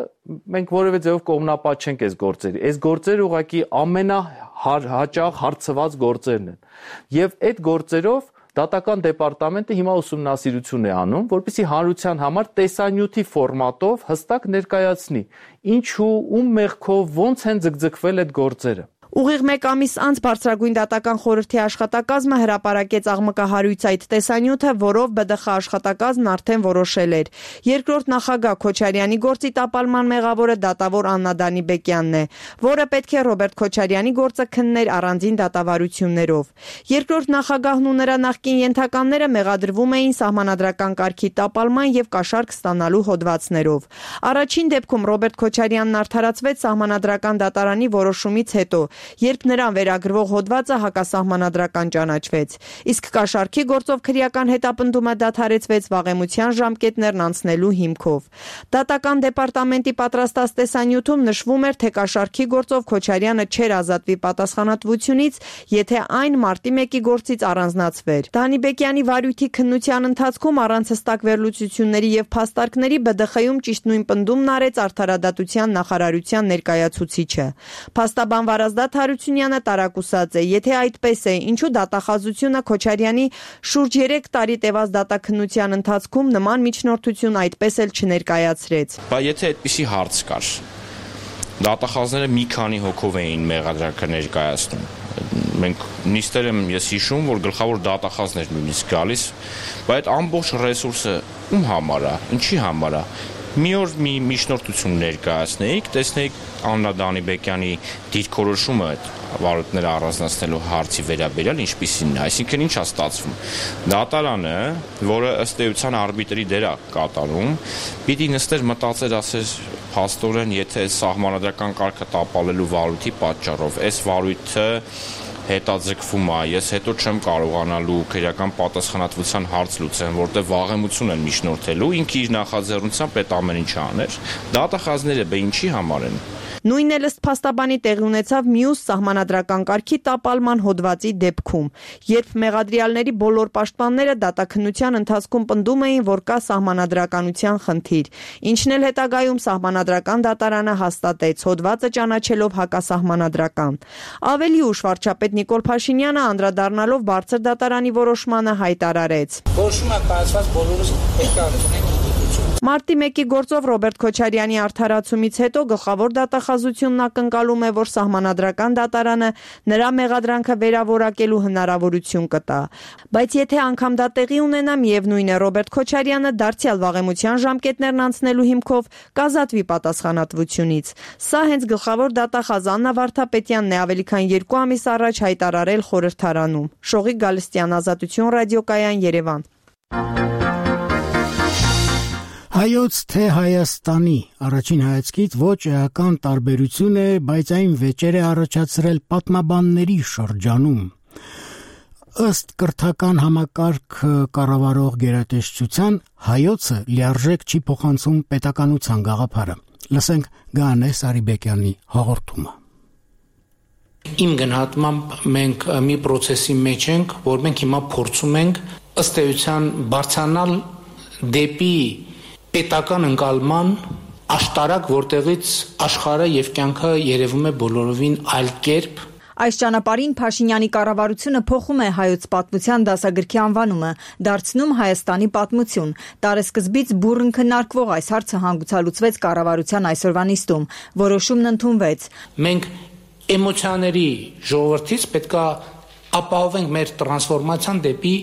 մենք որևէ ձևով կողմնապատ չենք այս գործերի։ Այս գործերը ուղղակի ամենահաճախ հարցված գործերն են։ Եվ այդ գործերով Դատական դեպարտամենտը հիմա ուսումնասիրություն է անում, որպեսզի հանրության համար տեսանյութի ֆորմատով հստակ ներկայացնի, ինչու ում մեղքով ոնց են ձգձգվել այդ գործերը։ Ուղիղ 1 ամիս անց Բարձրագույն դատական խորհրդի աշխատակազմը հրապարակեց աղմկահարույց այդ տեսանյութը, որով ԲԴԽ աշխատակազմն արդեն որոշել էր։ Երկրորդ նախագահ Քոչարյանի գործի տապալման մեղավորը դատավոր Աննա Դանիբեկյանն է, որը պետք է Ռոբերտ Քոչարյանի գործը քններ առանձին դատավարություններով։ Երկրորդ նախագահն ու նրա նախկին ենթականները մեղադրվում էին սահմանադրական կարգի տապալման եւ կաշառք ստանալու հոդվածներով։ Առաջին դեպքում Ռոբերտ Քոչարյանն արդարացվեց սահմանադրական դատարանի որոշումից հետո, երբ նրան վերագրվող հոդվածը հակասահմանադրական ճանաչվեց, իսկ կաշառքի գործով քրեական հետապնդումը դադարեցվեց վաղեմության ժամկետներն անցնելու հիմքով։ Դատական դեպարտամենտի պատրաստած տեսանյութում նշվում էր, թե կաշառքի գործով Քոչարյանը չէր ազատվի պատասխանատվությունից, եթե այն մարտի 1-ի գործից առանձնացվեր։ Դանիբեկյանի վարույթի քննության ընթացքում առանց հստակ վերլուծությունների եւ փաստարկների ԲԴԽ-ում ճիշտ նույն պնդումն արեց Արդարադատության նախարարության ներկայացուցիչը։ Փաստաբան Վարազդատ Հարությունյանը տարակուսած է, եթե այդպես է, ինչու դատախազությունը Քոչարյանի շուրջ 3 տարի տևած դատաքննության ընթացքում նման միջնորդություն այդպես էլ չներկայացրեց։ Բայց եթե այդպիսի հարց կար, դատախազները մի քանի հոգով էին մեղադրանքը ներկայացնում։ Մենք նիստեր եմ ես հիշում, որ գլխավոր դատախազներ նույնիսկ գալիս, բայց այդ ամբողջ ռեսուրսը ում համար է, ինչի համար է։ Մի օր մի միջնորդություն ներկայացնեիք, տեսնեիք Աննա Դանիբեկյանի դիրքորոշումը այդ վարույթները առանձնացնելու հարցի վերաբերյալ ինչպիսին է, այսինքն ինչ է ստացվում։ Դատարանը, որը ըստ էության արբիտրի դեր է կատարում, պիտի նստեր մտածեր, ասեր փաստորեն, եթե սահմանադրական կարգը տապալելու վարույթի պատճառով այս վարույթը հետաձգվում է, ես հետո չեմ կարողանալու քրեական պատասխանատվության հարց լուծեմ, որտեղ վաղեմություն են միջնորդելու, ինքը իր նախաձեռնությամբ այդ ամեն ինչը աներ։ Դատախազները ինչի համար են։ Նույնն էլ ըստ փաստաբանի տեղի ունեցավ մյուս սահմանադրական կարգի տապալման հոդվածի դեպքում, երբ մեղադրյալների բոլոր պաշտպանները դատաքննության ընթացքում պնդում էին, որ կա սահմանադրականության խնդիր, ինչն էլ հետագայում սահմանադրական դատարանը հաստատեց, հոդվածը ճանաչելով հակասահմանադրական։ Ավելի ուշ վարչապետ Նիկոլ Փաշինյանը անդրադառնալով բարձր դատարանի որոշմանը հայտարարեց. Որոշումը կայացված բոլորս պետք է ընդունենք։ Մարտի 1-ի գործով Ռոբերտ Քոչարյանի արդարացումից հետո գլխավոր դատախազությունն ակնկալում է, որ սահմանադրական դատարանը նրա մեղադրանքը վերավորակելու հնարավորություն կտա։ Բայց եթե անգամ դա տեղի ունենա, միևնույն է, Ռոբերտ Քոչարյանը դարձյալ վաղեմության ժամկետներն անցնելու հիմքով կազատվի պատասխանատվությունից։ Սա հենց գլխավոր դատախազ Աննա Վարդապետյանն է ավելի քան 2 ամիս առաջ հայտարարել խորհրդարանում։ Շողիկ Գալստյան, Ազատություն ռադիոկայան, Երևան։ Հայոց թե Հայաստանի առաջին հայացքից ոչ էական տարբերություն է, բայց այն վեճեր է առաջացրել պատմաբանների շրջանում։ Ըստ կրթական համակարգ կառավարող գերատեսչության հայոցը լիարժեք չի փոխանցում պետականության գաղափարը։ Լսենք Գանե Սարիբեկյանի հաղորդումը։ Իմ գնահատմամբ մենք մի process-ի մեջ ենք, որ մենք հիմա փորձում ենք ըստ էության բարձրանալ դեպի պետական ընկալման աշտարակ, որտեղից աշխարհը եւ կյանքը երևում է բոլորովին այլ կերպ։ Այս ճանապարհին Փաշինյանի կառավարությունը փոխում է հայոց պատմության դասագրքի անվանումը, դարձնում Հայաստանի պատմություն։ Տարեսկզբից բուռն քննարկվող այս հարցը հանգուցալուծվեց կառավարության այսօրվա նիստում։ Որոշումն ընդունվեց։ Մենք էմոցիաների ժողովրդից պետքա ապահովենք մեր տրանսֆորմացիան դեպի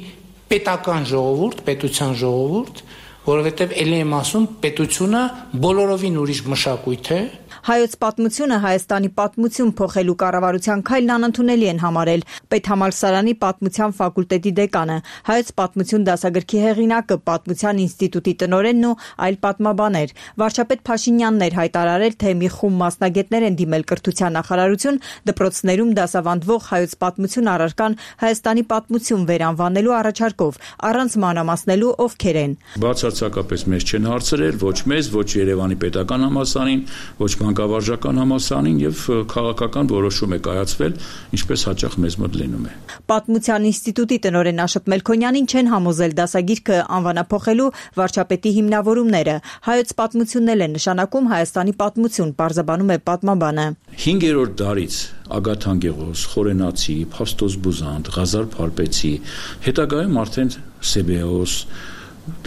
պետական ժողովուրդ, պետության ժողովուրդ, որովհետև ելի եմ ասում, պետությունը բոլորովին ուրիշ մշակույթ է։ Հայոց պատմությունը Հայաստանի պատմություն փոխելու կառավարության քայլն անընդունելի են համարել Պետհամալսարանի պատմության ֆակուլտետի դեկանը, Հայոց պատմություն դասագրքի հեղինակը, Պատմության ինստիտուտի տնօրենն ու այլ պատմաբաներ։ Վարչապետ Փաշինյանն էր հայտարարել, թե մի խումբ մասնագետներ են դիմել կրթության նախարարություն դպրոցներում դասավանդվող հայոց պատմություն առարկան Հայաստանի պատմություն վերանվանելու առաջարկով, առանց մանրամասնելու ովքեր են։ Բացարձակապես մեզ չեն հարցրել, ոչ մեզ, ոչ Երևանի պետական համալսարանին, ոչ մանկավարժական համալսարանին եւ քաղաքական որոշում է կայացվել, ինչպես հաճախ մեզ մոտ լինում է։ Պատմության ինստիտուտի տնօրեն Աշոտ Մելքոնյանին չեն համոզել դասագիրքը անվանափոխելու վարչապետի հիմնավորումները։ Հայոց պատմությունն էլ է նշանակում Հայաստանի պատմություն, պարզաբանում է պատմաբանը։ 5-րդ դարից Ագաթան Գեղոս, Խորենացի, Փաստոս Բուզանդ, Ղազար Փարպեցի, հետագայում արդեն Սեբեոս,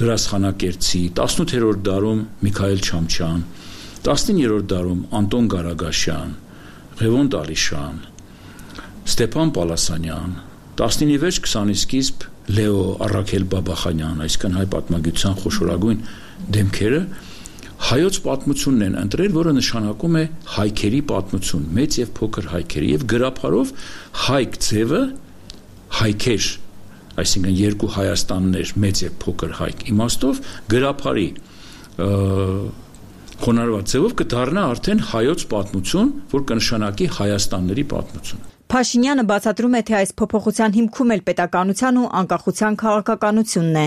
Դրասխանակերտցի, 18-րդ դարում Միքայել Չամչյան, 19-րդ դարում Անտոն Գարագաշյան, Ղևոն Տալիշյան, Ստեփան Պալասանյան, 19-ի վերջ 20-ի սկիզբ Լեո Առաքել Բաբախանյան, այսինքն հայ պատմագիտության խոշորագույն դեմքերը հայոց պատմությունն են ընտրել, որը նշանակում է հայքերի պատմություն, մեծ եւ փոքր հայքերի, եւ գրափարով հայք ձևը հայքեր, այսինքն երկու Հայաստաններ, մեծ եւ փոքր հայք իմաստով գրափարի խոնարհված ձևով կդառնա արդեն հայոց պատմություն, որ կնշանակի Հայաստանների պատմություն։ Փաշինյանը բացատրում է, թե այս փոփոխության հիմքում էլ պետականության ու անկախության քաղաքականությունն է։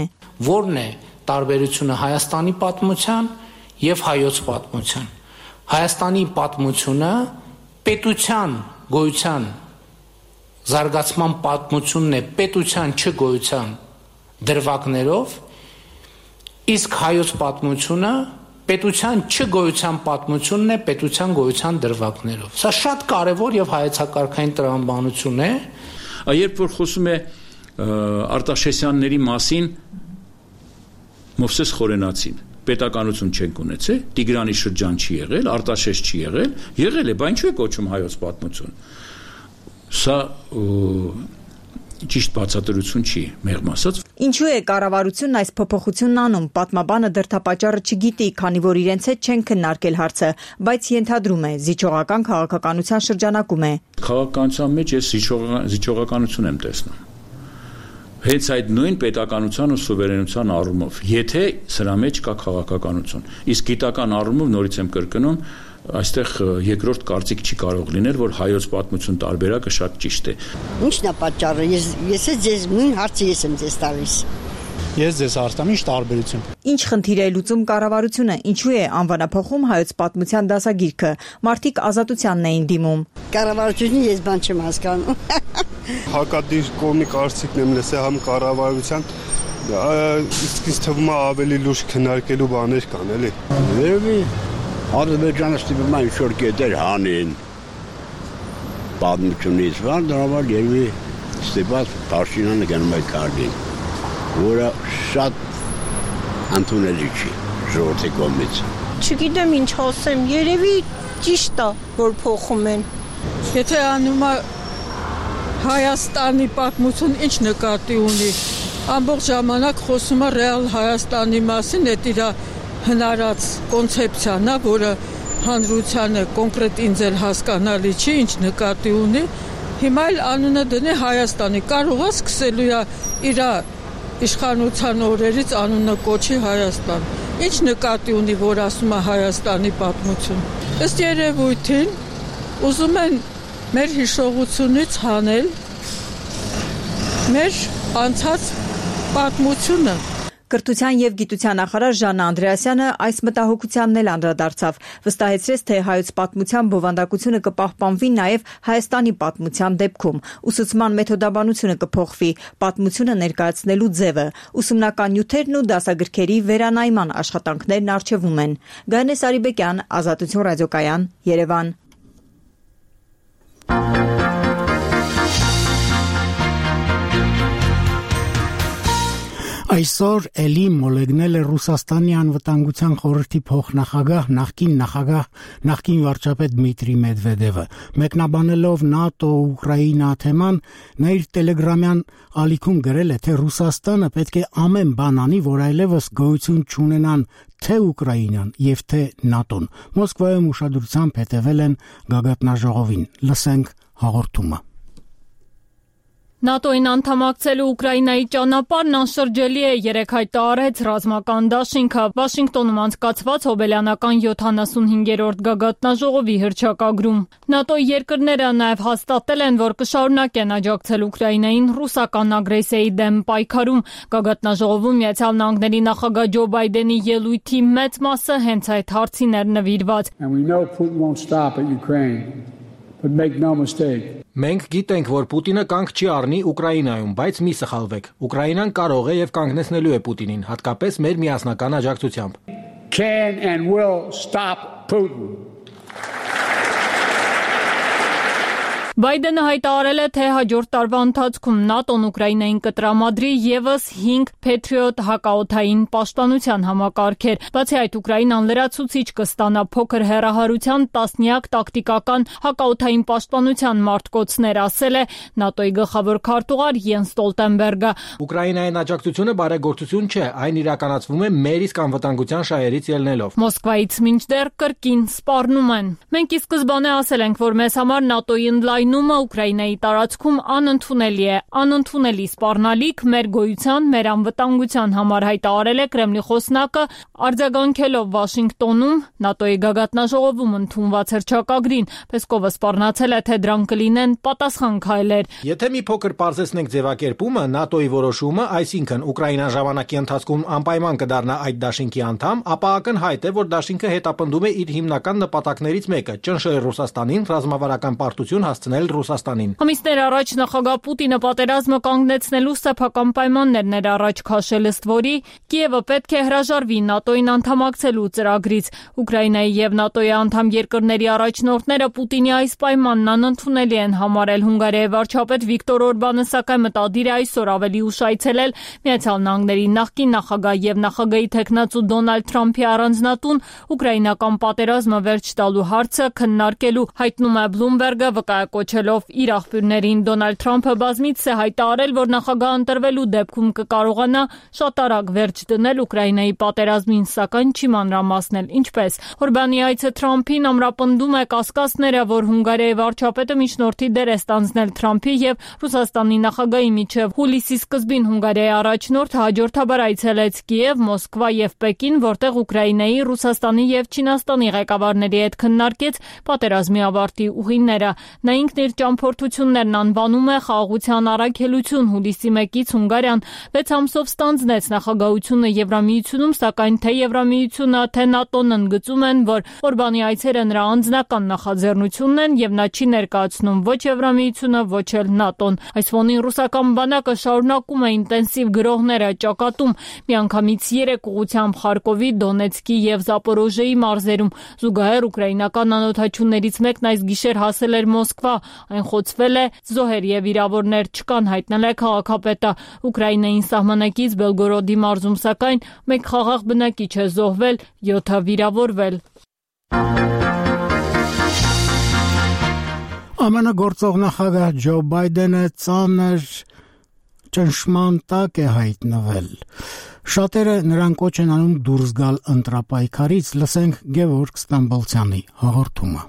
Որն է տարբերությունը Հայաստանի պատմության եւ հայոց պատմության։ Հայաստանի պատմությունը պետության գոյության զարգացման պատմությունն է պետության չգոյության դրվագներով, իսկ հայոց պատմությունը պետության չգոյության պատմությունն է պետության գոյության դրվագներով։ Սա շատ կարևոր եւ հայեցակարգային տրամաբանություն է։ Երբ որ խոսում է Արտաշեսյանների մասին Մովսես Խորենացին, պետականություն չենք ունեցել, Տիգրանի շրջան չի եղել, Արտաշես չի եղել է, բայց ինչու է կոչում հայոց պատմություն։ Սա ճիշտ բացատրություն չի, մեղմ ասած։ Ինչու է կառավարությունն այս փոփոխությունն անում, պատմաբանը դրդապատճառը չգիտի, քանի որ իրենց հետ չեն քննարկել հարցը, բայց ենթադրում է, զիջողական քաղաքականության շրջանակում է։ Քաղաքականության մեջ ես զիջողականություն եմ տեսնում։ Հենց այդ նույն պետականության ու սուվերենության առումով, եթե սրա մեջ կա քաղաքականություն, իսկ գիտական առումով նորից եմ կրկնում, այստեղ երկրորդ կարծիք չի կարող լինել, որ հայոց պատմություն տարբերակը շատ ճիշտ է։ Ի՞նչն է պատճառը։ Ես ձեզ նույն հարցը եմ ձեզ տալիս։ Ես ձեզ հարցնում, ինչ տարբերություն։ Ինչ խնդիր է լուծում կառավարությունը, ինչու է անվանափոխում հայոց պատմության դասագիրքը։ Մարդիկ ազատությանն էին դիմում։ Կառավարությունը ես բան չեմ հասկանում։ Հակադիր կողմի կարծիքն եմ լսել համ կառավարության, իսկ ինձ թվում է ավելի լուրջ քննարկելու բաներ կան, էլի։ Երևի Ադրբեջանը ստիպում է ինչ-որ կետեր հանեն պատմությունից, դրանով երևի ստիպած Փաշինյանը գնում է քարտին, որը շատ ընդունելի չի ժողովրդի կողմից։ Չգիտեմ ինչ ասեմ, երևի ճիշտ է, որ փոխում են։ Եթե անում է Հայաստանի պատմություն, ինչ նկատի ունի։ Ամբողջ ժամանակ խոսում է ռեալ Հայաստանի մասին, այդ իր հնարած կոնցեպցիան է, որը հանրությանը կոնկրետ ինձ էլ հասկանալի չի, ինչ նկատի ունի։ Հիմա էլ անունը դնի Հայաստանի, կարող է սկսելու է իր իշխանության օրերից անունը կոչի Հայաստան։ Ինչ նկատի ունի, որ ասում է Հայաստանի պատմություն։ Ըստ երևույթին ուզում են մեր հիշողությունից հանել մեր անցած պատմությունը։ Կրթության եւ գիտության նախարար Ժաննա Անդրեասյանը այս մտահոգությանն էլ անդրադարձավ, վստահեցրեց, թե հայոց պատմության բովանդակությունը կպահպանվի նաեւ Հայաստանի պատմության դեպքում։ Ուսուցման մեթոդաբանությունը կփոխվի, պատմությունը ներկայացնելու ձևը, ուսումնական նյութերն ու դասագրքերի վերանայման աշխատանքներն արժևում են։ Գայանե Սարիբեկյան, Ազատություն ռադիոկայան, Երևան։ Այսօր էլի մոլեգնել է Ռուսաստանի անվտանգության խորհրդի փոխնախագահ, նախկին վարչապետ Դմիտրի Մեդվեդևը, մեկնաբանելով ՆԱՏՕ-Ուկրաինա թեման, նա իր տելեգրամյան ալիքում գրել է, թե Ռուսաստանը պետք է ամեն բան անի, որ այլևս գոյություն չունենան թե Ուկրաինան եւ թե ՆԱՏՕ-ն։ Մոսկվայում ուշադրությամբ հետևել են գագաթնաժողովին։ Լսենք հաղորդումը։ ՆԱՏՕ-ին անդամակցելու Ուկրաինայի ճանապարհն անշրջելի է, երեկ հայտարարեց ռազմական դաշինքը։ Վաշինգտոնում անցկացված հոբելյանական 75-րդ գագաթնաժողովի հռչակագրում ՆԱՏՕ-ի երկրները նաև հաստատել են, որ կշարունակեն աջակցել Ուկրաինային ռուսական ագրեսիայի դեմ պայքարում։ Գագաթնաժողովում Միացյալ Նահանգների նախագահ Ջո Բայդենի ելույթի մեծ մասը հենց այդ հարցին էր նվիրված։ Մենք գիտենք, որ Պուտինը կանգ չի առնի Ուկրաինայում, բայց մի սխալվեք։ Ուկրաինան կարող է եւ կանգնեցնելու է Պուտինին, հատկապես մեր միասնական աջակցությամբ։ Can and will stop Putin. Բայդենը հայտարարել է, թե հաջորդ տարվա ընթացքում ՆԱՏՕ-ն Ուկրաինային կտրամադրի եւս 5 Patriot հակաօդային պաշտպանության համակարգեր։ Բացի այդ, Ուկրաինան լրացուցիչ կստանա փոքր հեռահարության տասնյակ տակտիկական հակաօդային պաշտպանության մարտկոցներ, ասել է ՆԱՏՕ-ի գլխավոր քարտուղար Յենս Ստոլտենբերգը։ Ուկրաինային աջակցությունը բարեգործություն չէ, այն իրականացվում է մեր իսկ անվտանգության շահերից ելնելով։ Մոսկվայից մինչդեռ կրկին սպառնում են։ Մենք ի սկզբանե ասել ենք, որ մեզ համար ՆԱՏՕ-ի ընդլայնումը Ուկրաինայի տարածքում անընդունելի է, անընդունելի սպառնալիք մեր գոյության, մեր անվտանգության համար, հայտարարել է Կրեմլի խոսնակը, արձագանքելով Վաշինգտոնում ՆԱՏՕ-ի գագաթնաժողովում ընդունված հռչակագրին։ Պեսկովը սպառնացել է, թե դրանք կլինեն պատասխան քայլեր։ Եթե մի փոքր պարզեցնենք ձևակերպումը, ՆԱՏՕ-ի որոշումը, այսինքն Ուկրաինան ժամանակի ընթացքում անպայման կդառնա այդ դաշինքի անդամ, ապա ակնհայտ է, որ դաշինքը հետապնդում է իր հիմնական նպատակներից մեկը՝ ճնշել Ռուսաստանին, ռազմավարական պարտություն հասցնել Ռուսաստանին։ Ամիսներ առաջ նախագահ Պուտինը պատերազմը կանգնեցնելու սեփական պայմաններ ներառաջ քաշել, ըստ որի Կիևը պետք է հրաժարվի ՆԱՏՕ-ին անդամակցելու ծրագրից։ Ուկրաինայի եւ ՆԱՏՕ-ի անդամ երկրների առաջնորդները Պուտինի այս պայմանն անընդունելի են համարել։ Հունգարիայի վարչապետ Վիկտոր Օրբանը սակայն մտադիր է այսօր ավելի ուշ այցելել Միացյալ Նահանգների նախկին նախագահ եւ նախագահի թեկնածու Դոնալդ Թրամփի առանձնատուն ուկրաինական պատերազմը վերջ տալու հարցը քննարկելու, հայտնում է Bloomberg-ը, վկայակոչելով իր աղբյուրներին։ Դոնալդ Թրամփը բազմիցս է հայտարարել, որ նախագահ ընտրվելու դեպքում կկարողանա շատ արագ վերջ դնել Ուկրաինայի պատերազմին, սակայն չի մանրամասնել ինչպես։ Օրբանի այցը Թրամփին ամրապնդում է կասկածները, որ Հունգարիայի վարչապետը միջնորդի դեր է ստանձնել Թրամփի եւ Ռուսաստանի նախագահի միջև։ Հուլիսի սկզբին Հունգարիայի առաջնորդը հաջորդաբար այցելեց Կիև, Մոսկվա եւ Պեկին, որտեղ Ուկրաինայի, Ռուսաստանի եւ Չինաստանի ղեկավարների հետ քննարկեց պատերազմի ավարտի ուղիները։ Նա ինքն իր ճամփորդություններն անվանում է խաղաղության առաքելություն։ Հուլիսի 1-ից Հունգարիան 6 ամսով ստանձնեց նախագահությունը Եվրամիությունում, սակայն թե Եվրամիությունը, թե ՆԱՏՕ-ն ընդգծում են, որ Օրբանի այցերը նրա անձնական նախաձեռնությունն են եւ նա չի ներկայացնում ոչ Եվրամիությունը, ոչ էլ ՆԱՏՕ-ն։ Այս ֆոնին ռուսական բանակը շարունակում է ինտենսիվ գրոհները ճակատում, միանգամից 3 ուղղությամբ Խարկովի, Դոնեցկի եւ Զապորոժեի մարզերում։ Զուգահեռ ուկրաինական անօթաչուներից մեկն այս գիշեր հասել էր Մոսկվա։ Այն խոցվել է, զոհեր եւ վիրավորներ չկան, հայտնել է քաղաքապետը։ Ուկրաինային սահմանակից Բելգորոդի մարզում սակայն մեկ խաղաղ բնակիչ է զոհվել, 7-ը վիրավորվել։ ԱՄՆ գործող նախագահ Ջո Բայդենը ծանր ճնշման տակ է հայտնվել։ Շատերը նրան կոչ են անում դուրս գալ ընտրապայքարից, լսենք Գևորգ Ստամբոլցյանի հաղորդումը։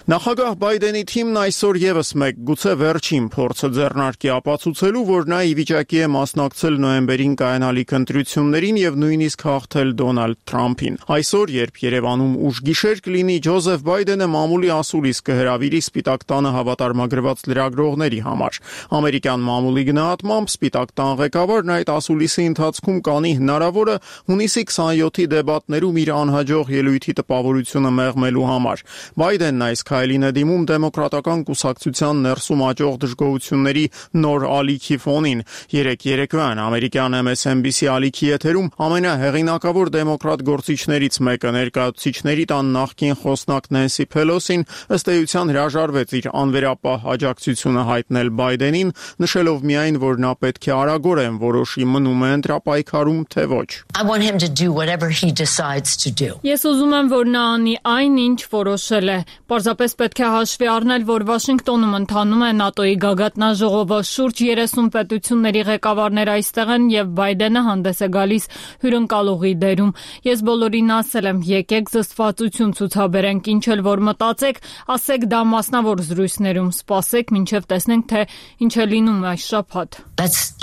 Նախագահ Բայդենի թիմն այսօր եւս մեկ գուցե վերջին փորձը ձեռնարկի ապացուցելու, որ նա ի վիճակի է մասնակցել նոյեմբերին կայանալիք ընտրություններին եւ նույնիսկ հաղթել Դոնալդ Թրամփին։ Այսօր, երբ Երևանում ուշգիշեր կլինի, Ջոզեֆ Բայդենը մամուլի ասուլիս կհրավիրի Սպիտակ տանը հավատարմագրված լրագրողների համար։ Ամերիկյան մամուլի գնահատմամբ Սպիտակ տան ղեկավարն այդ ասուլիսի ընթացքում կանի հնարավորը հունիսի 27-ի դեբատներում իր անհաջող ելույթի տպավորությունը մեղմելու համար։ Բայդենն այս քայլին է դիմում դեմոկրատական կուսակցության ներսում աճող դժգոհությունների նոր ալիքի ֆոնին։ Երեկոյան ամերիկյան MSNBC ալիքի եթերում ամենահեղինակավոր դեմոկրատ գործիչներից մեկը, ներկայացուցիչների տան նախկին խոսնակ Նենսի Փելոսին, ըստ էության հրաժարվեց իր անվերապահ աջակցությունը հայտնել Բայդենին, նշելով միայն, որ նա պետք է արագորեն որոշի մնում է ընտրապայքարում, թե ոչ։ Ես ուզում եմ, որ նա անի այն, ինչ որոշել է։ Պարզապես պետք է հաշվի առնել, որ Վաշինգտոնում ընթանում է ՆԱՏՕ-ի գագաթնաժողովը, շուրջ 30 պետությունների ղեկավարներ այստեղ են եւ Բայդենը հանդես է գալիս հյուրընկալողի դերում։ Ես բոլորին ասել եմ, եկեք զսպվածություն ցուցաբերենք, ինչ էլ որ մտածեք, ասեք դա մասնավոր զրույցներում, սպասեք մինչեւ տեսնենք, թե ինչ է լինում այս շաբաթ։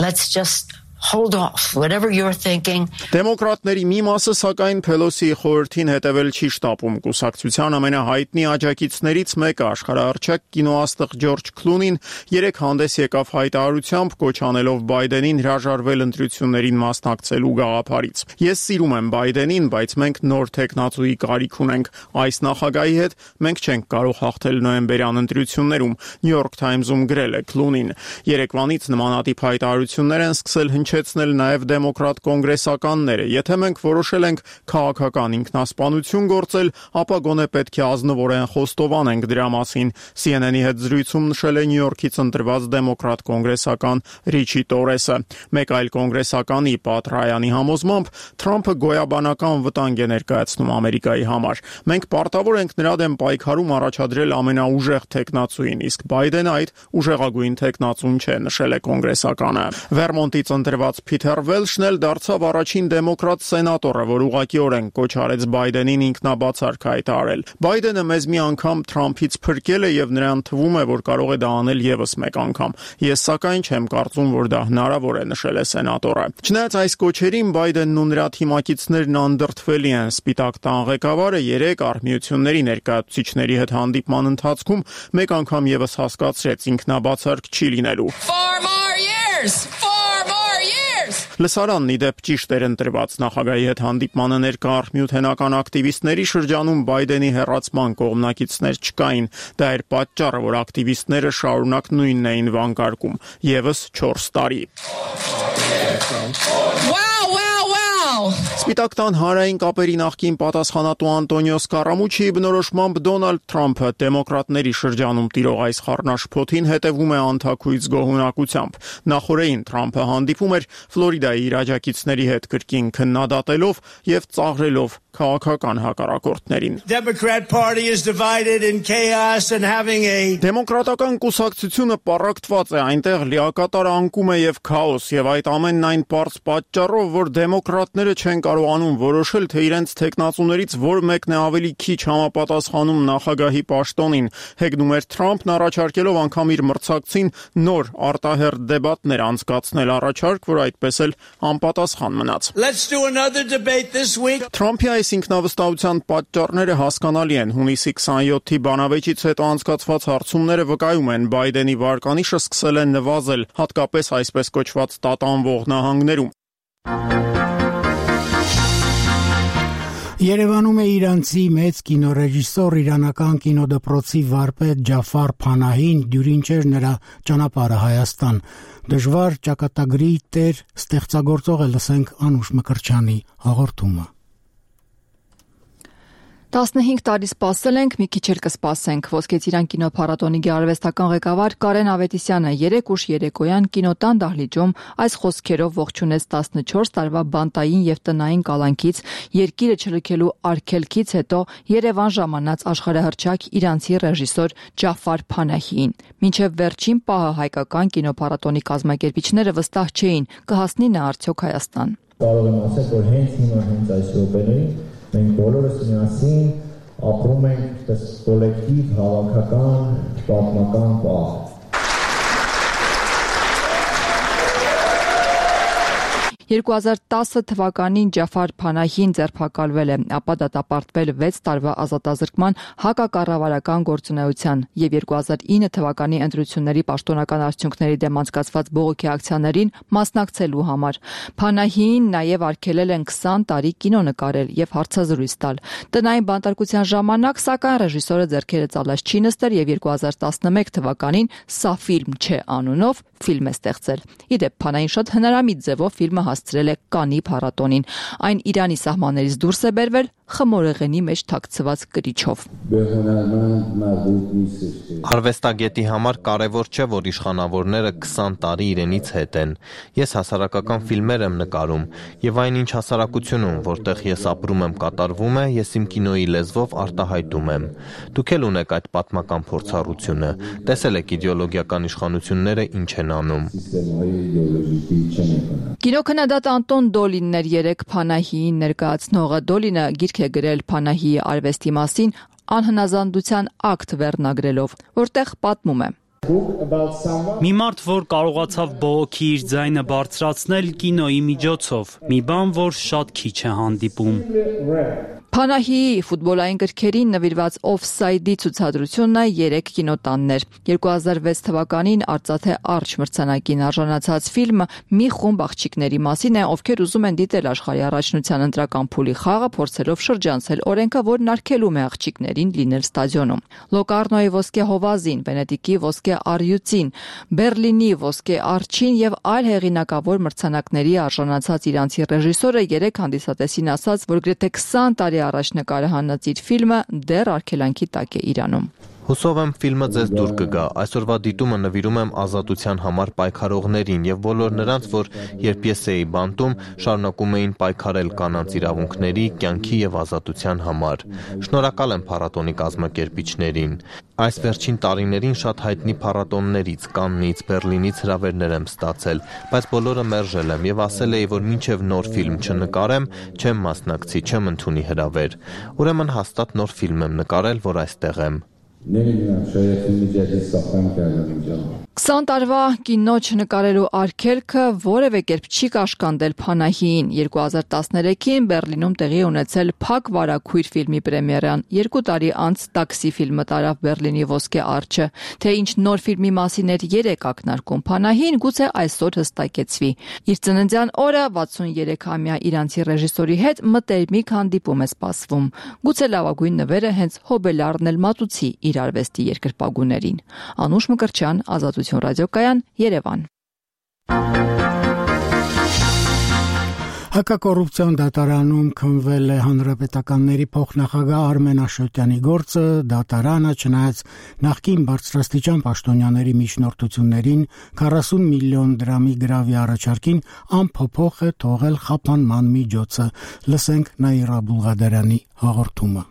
Let's just hold off whatever you're thinking. Դեմոկրատների մի մասը սակայն Փելոսիի խորհրդին հետևել չի շտապում։ Կուսակցության ամենահայտնի աջակիցներից մեկը, աշխարհահռչակ կինոաստղ Ջորջ Քլունին, երեք հանդես եկավ հայտարարությամբ, կոչ անելով Բայդենին հրաժարվել ընտրություններին մասնակցելու գաղափարից։ Ես սիրում եմ Բայդենին, բայց մենք նոր տեխնացուի կարիք ունենք։ Այս նախագահի հետ մենք չենք կարող հաղթել նոյեմբերյան ընտրություններում, New York Times-ում գրել է Քլունին։ Երեկվանից նմանատիպ հայտարարություններ են սկսել հնչեցնել նաև դեմոկրատ կոնգրեսականները։ Եթե մենք որոշել ենք քաղաքական ինքնասպանություն գործել, ապա գոնե պետք է ազնվորեն խոստովանենք դրա մասին, CNN-ի հետ զրույցում նշել է Նյու Յորքից ընտրված դեմոկրատ կոնգրեսական Ռիչի Տորեսը։ Մեկ այլ կոնգրեսականի Պատ Ռայանի համոզմամբ Թրամփը գոյաբանական վտանգ է ներկայացնում Ամերիկայի համար։ Մենք պարտավոր ենք նրա դեմ պայքարում առաջադրել ամենաուժեղ թեկնածուին, իսկ Բայդենը այդ ուժեղագույն թեկնածուն չէ, նշել է կոնգրեսականը։ Վերմոնտից ընտրված Փիթեր Վելշն էլ դարձավ առաջին դեմոկրատ սենատորը, որ ուղղակիորեն կոչ արեց Բայդենին ինքնաբացարք հայտարարել։ Բայդենը մեզ մի անգամ Թրամփից փրկել է եւ նրան թվում է, որ կարող է դա անել եւս մեկ անգամ։ Ես սակայն չեմ կարծում, որ դա հնարավոր է, նշել է սենատորը։ Չնայած այս կոչերին Բայդենն ու նրա թիմակիցներն անդրդվելի են։ Սպիտակ տան ղեկավարը 3 արհմիությունների ներկայացուցիչների հետ հանդիպման ընթացքում մեկ անգամ եւս հասկացրեց ինքնաբացարք չի լինելու։ Լսարանն ի դեպ ճիշտ էր ընտրված նախագահի հետ հանդիպմանը ներկա արհմիութենական ակտիվիստների շրջանում Բայդենի հեռացման կողմնակիցներ չկային։ Դա էր պատճառը, որ ակտիվիստները շարունակ նույնն էին վանկարկում։ Եվս 4 տարի։ Սպիտակ տան հանրային կապերի նախկին պատասխանատու Անտոնիո Սկարամուչիի բնորոշմամբ Դոնալդ Թրամփը դեմոկրատների շրջանում տիրող այս խառնաշփոթին հետևում է անթաքույց գոհունակությամբ։ Նախորդին Թրամփը հանդիպում էր Ֆլորիդայի իր աջակիցների հետ կրկին քննադատելով եւ ծաղրելով քաղաքական հակառակորդներին։ Դեմոկրատական կուսակցությունը պառակտված է, այնտեղ լիակատար անկում է եւ քաոս, եւ այդ ամենն այն պարզ պատճառով, որ դեմոկրատները չեն կարողանում որոշել, թե իրենց թեկնածուներից որ մեկն է ավելի քիչ համապատասխանում նախագահի պաշտոնին։ Հեգնում էր Թրամփն առաջարկելով անգամ իր մրցակցին նոր արտահերթ դեբատներ անցկացնել, առաջարկ, որ այդպես էլ անպատասխան մնաց։ Թրամփի այս ինքնավստահության պատճառները հասկանալի են։ Հունիսի 27-ի բանավեճից հետո անցկացված հարցումները վկայում են, Բայդենի վարկանիշը սկսել է նվազել, հատկապես այսպես կոչված տատանվող նահանգներում։ Երևանում է իրանցի մեծ կինոռեժիսոր, իրանական կինոդպրոցի վարպետ Ջաֆար Փանահին, դյուրինչեր նրա ճանապարհը Հայաստան։ Դժվար ճակատագրի տեր ստեղծագործող է, լսենք Անուշ Մկրտչյանի հաղորդումը։ 15 տարի սպասել ենք, մի քիչ էլ կսպասենք։ Ոսկե ծիրան կինոփառատոնի գեղարվեստական ղեկավար Կարեն Ավետիսյանը 3 ուշ երեկոյան կինոտան դահլիճում այս խոսքերով ողջունեց 14 տարվա բանտային եւ տնային կալանքից, երկիրը չլքելու արգելքից հետո Երևան ժամանած աշխարհահռչակ իրանցի ռեժիսոր Ջաֆար Փանահիին։ Մինչև վերջին պահը հայկական կինոփառատոնի կազմակերպիչները վստահ չէին, կհասնի նա արդյոք Հայաստան։ Կարող եմ ասել, որ հենց հիմա այս րոպեներին մենք բոլորս միասին ապրում ենք այս կոլեկտիվ հավաքական պատմական պահ։ 2010 թվականին Ջաֆար Փանահին ձերբակալվել է, ապա դատապարտվել 6 տարվա ազատազրկման հակակառավարական գործունեության եւ 2009 թվականի ընտրությունների պաշտոնական արդյունքների դեմ անցկացված բողոքի ակցիաներին մասնակցելու համար։ Փանահին նաեւ արգելել են 20 տարի կինո նկարել եւ հարցազրույց տալ։ Տնային բանտարկության ժամանակ սակայն ռեժիսորը ձեռքերը ծալած չի նստել եւ 2011 թվականին «Սա ֆիլմ չէ» անունով ֆիլմ է ստեղծել։ Իդեպ Փանահին շատ հնարամիտ ձևով ֆիլմը հասցրել է Կանի փառատոնին։ Այն Իրանի սահմաններից դուրս է բերվել խմորեղենի մեջ թաքցված կրիչով։ Արվեստագետի համար կարևոր չէ, որ իշխանավորները 20 տարի իրենից հետ են։ Ես հասարակական ֆիլմեր եմ նկարում եւ այնինչ հասարակությունում, որտեղ ես ապրում եմ, կատարվում է, ես իմ կինոյի լեզվով արտահայտում եմ։ Դուք էլ ունեք այդ պատմական փորձառությունը։ Տեսել եք իդեոլոգիական իշխանությունները ինչ են անում։ Կինոքննադատ Անտոն Դոլինն էր 3 Փանահիին ներկայացնողը։ Դոլինը գիրք է գրել Փանահիի արվեստի մասին անհնազանդության ակտ վերնագրելով, որտեղ պատմում է. Մի մարդ, որ կարողացավ բողոքի իր ձայնը բարձրացնել կինոյի միջոցով, մի բան, որ շատ քիչ է հանդիպում։ Փանահիի ֆուտբոլային գրքերին նվիրված Օֆսայդի ցուցադրությունը 3 կինոտաններ։ 2006 թվականին Արծաթե Արջ մրցանակին արժանացած ֆիլմը մի խումբ աղջիկների մասին է, ովքեր ուզում են դիտել աշխարհի առաջնության ընտրական փուլի խաղը, փորձելով շրջանցել օրենքը, որն արգելում է աղջիկներին լինել ստադիոնում։ Լոկարնոյի ոսկե հովազին, Վենետիկի ոսկե ոսկե առյուծին, Բերլինի ոսկե արջին եւ այլ հեղինակավոր մրցանակների արժանացած իրանցի ռեժիսորը երեք հանդիսատեսին ասաց, որ գրեթե 20 տարի առաջ նկարահանած իր ֆիլմը դեռ արգելանքի տակ է Իրանում։ Հուսով եմ ֆիլմը ձեզ դուր կգա։ Այսօրվա դիտումը նվիրում եմ ազատության համար պայքարողներին եւ բոլոր նրանց, որ երբ ես էի բանտում, շարունակում էին պայքարել կանանց իրավունքների, կյանքի եւ ազատության համար։ Շնորհակալ եմ փառատոնի կազմակերպիչներին։ Այս վերջին տարիներին շատ հայտնի փառատոններից, Կաննից, Բերլինից հրավերներ եմ ստացել, բայց բոլորը մերժել եմ եւ ասել էի, որ մինչեւ նոր ֆիլմ չնկարեմ, չեմ մասնակցի, չեմ ընդունի հրավեր։ Ուրեմն հաստատ նոր ֆիլմ եմ նկարել, որ այստեղ եմ։ 20 տարվա կինո չնկարելու արգելքը որևէ կերպ չի կաշկանդել Փանահիին։ 2013-ին Բերլինում տեղի ունեցել Փակ վարագույր ֆիլմի պրեմիերան։ 2 տարի անց Տաքսի ֆիլմը տարավ Բերլինի ոսկե արջը։ Թե ինչ նոր ֆիլմի մասին էր երեք ակնարկում Փանահին, գուցե այսօր հստակեցվի։ Իր ծննդյան օրը 63-ամյա իրանցի ռեժիսորի հետ մտերմիկ հանդիպում է սպասվում։ Գուցե լավագույն նվերը հենց Հոբելարն էլ մատուցի իր արվեստի երկրպագուներին։ Անուշ Մկրտչյան, Ազատություն ռադիոկայան, Երևան։ Հակակոռուպցիոն դատարանում քննվել է հանրապետականների փոխնախագահ Արմեն Աշոտյանի գործը, դատարանը չնայած նախկին բարձրաստիճան պաշտոնյաների միջնորդություններին 40 միլիոն դրամի գրավի առաջարկին անփոփոխ է թողել խափանման միջոցը։ Լսենք Նաիրա Բուլղադարյանի հաղորդումը։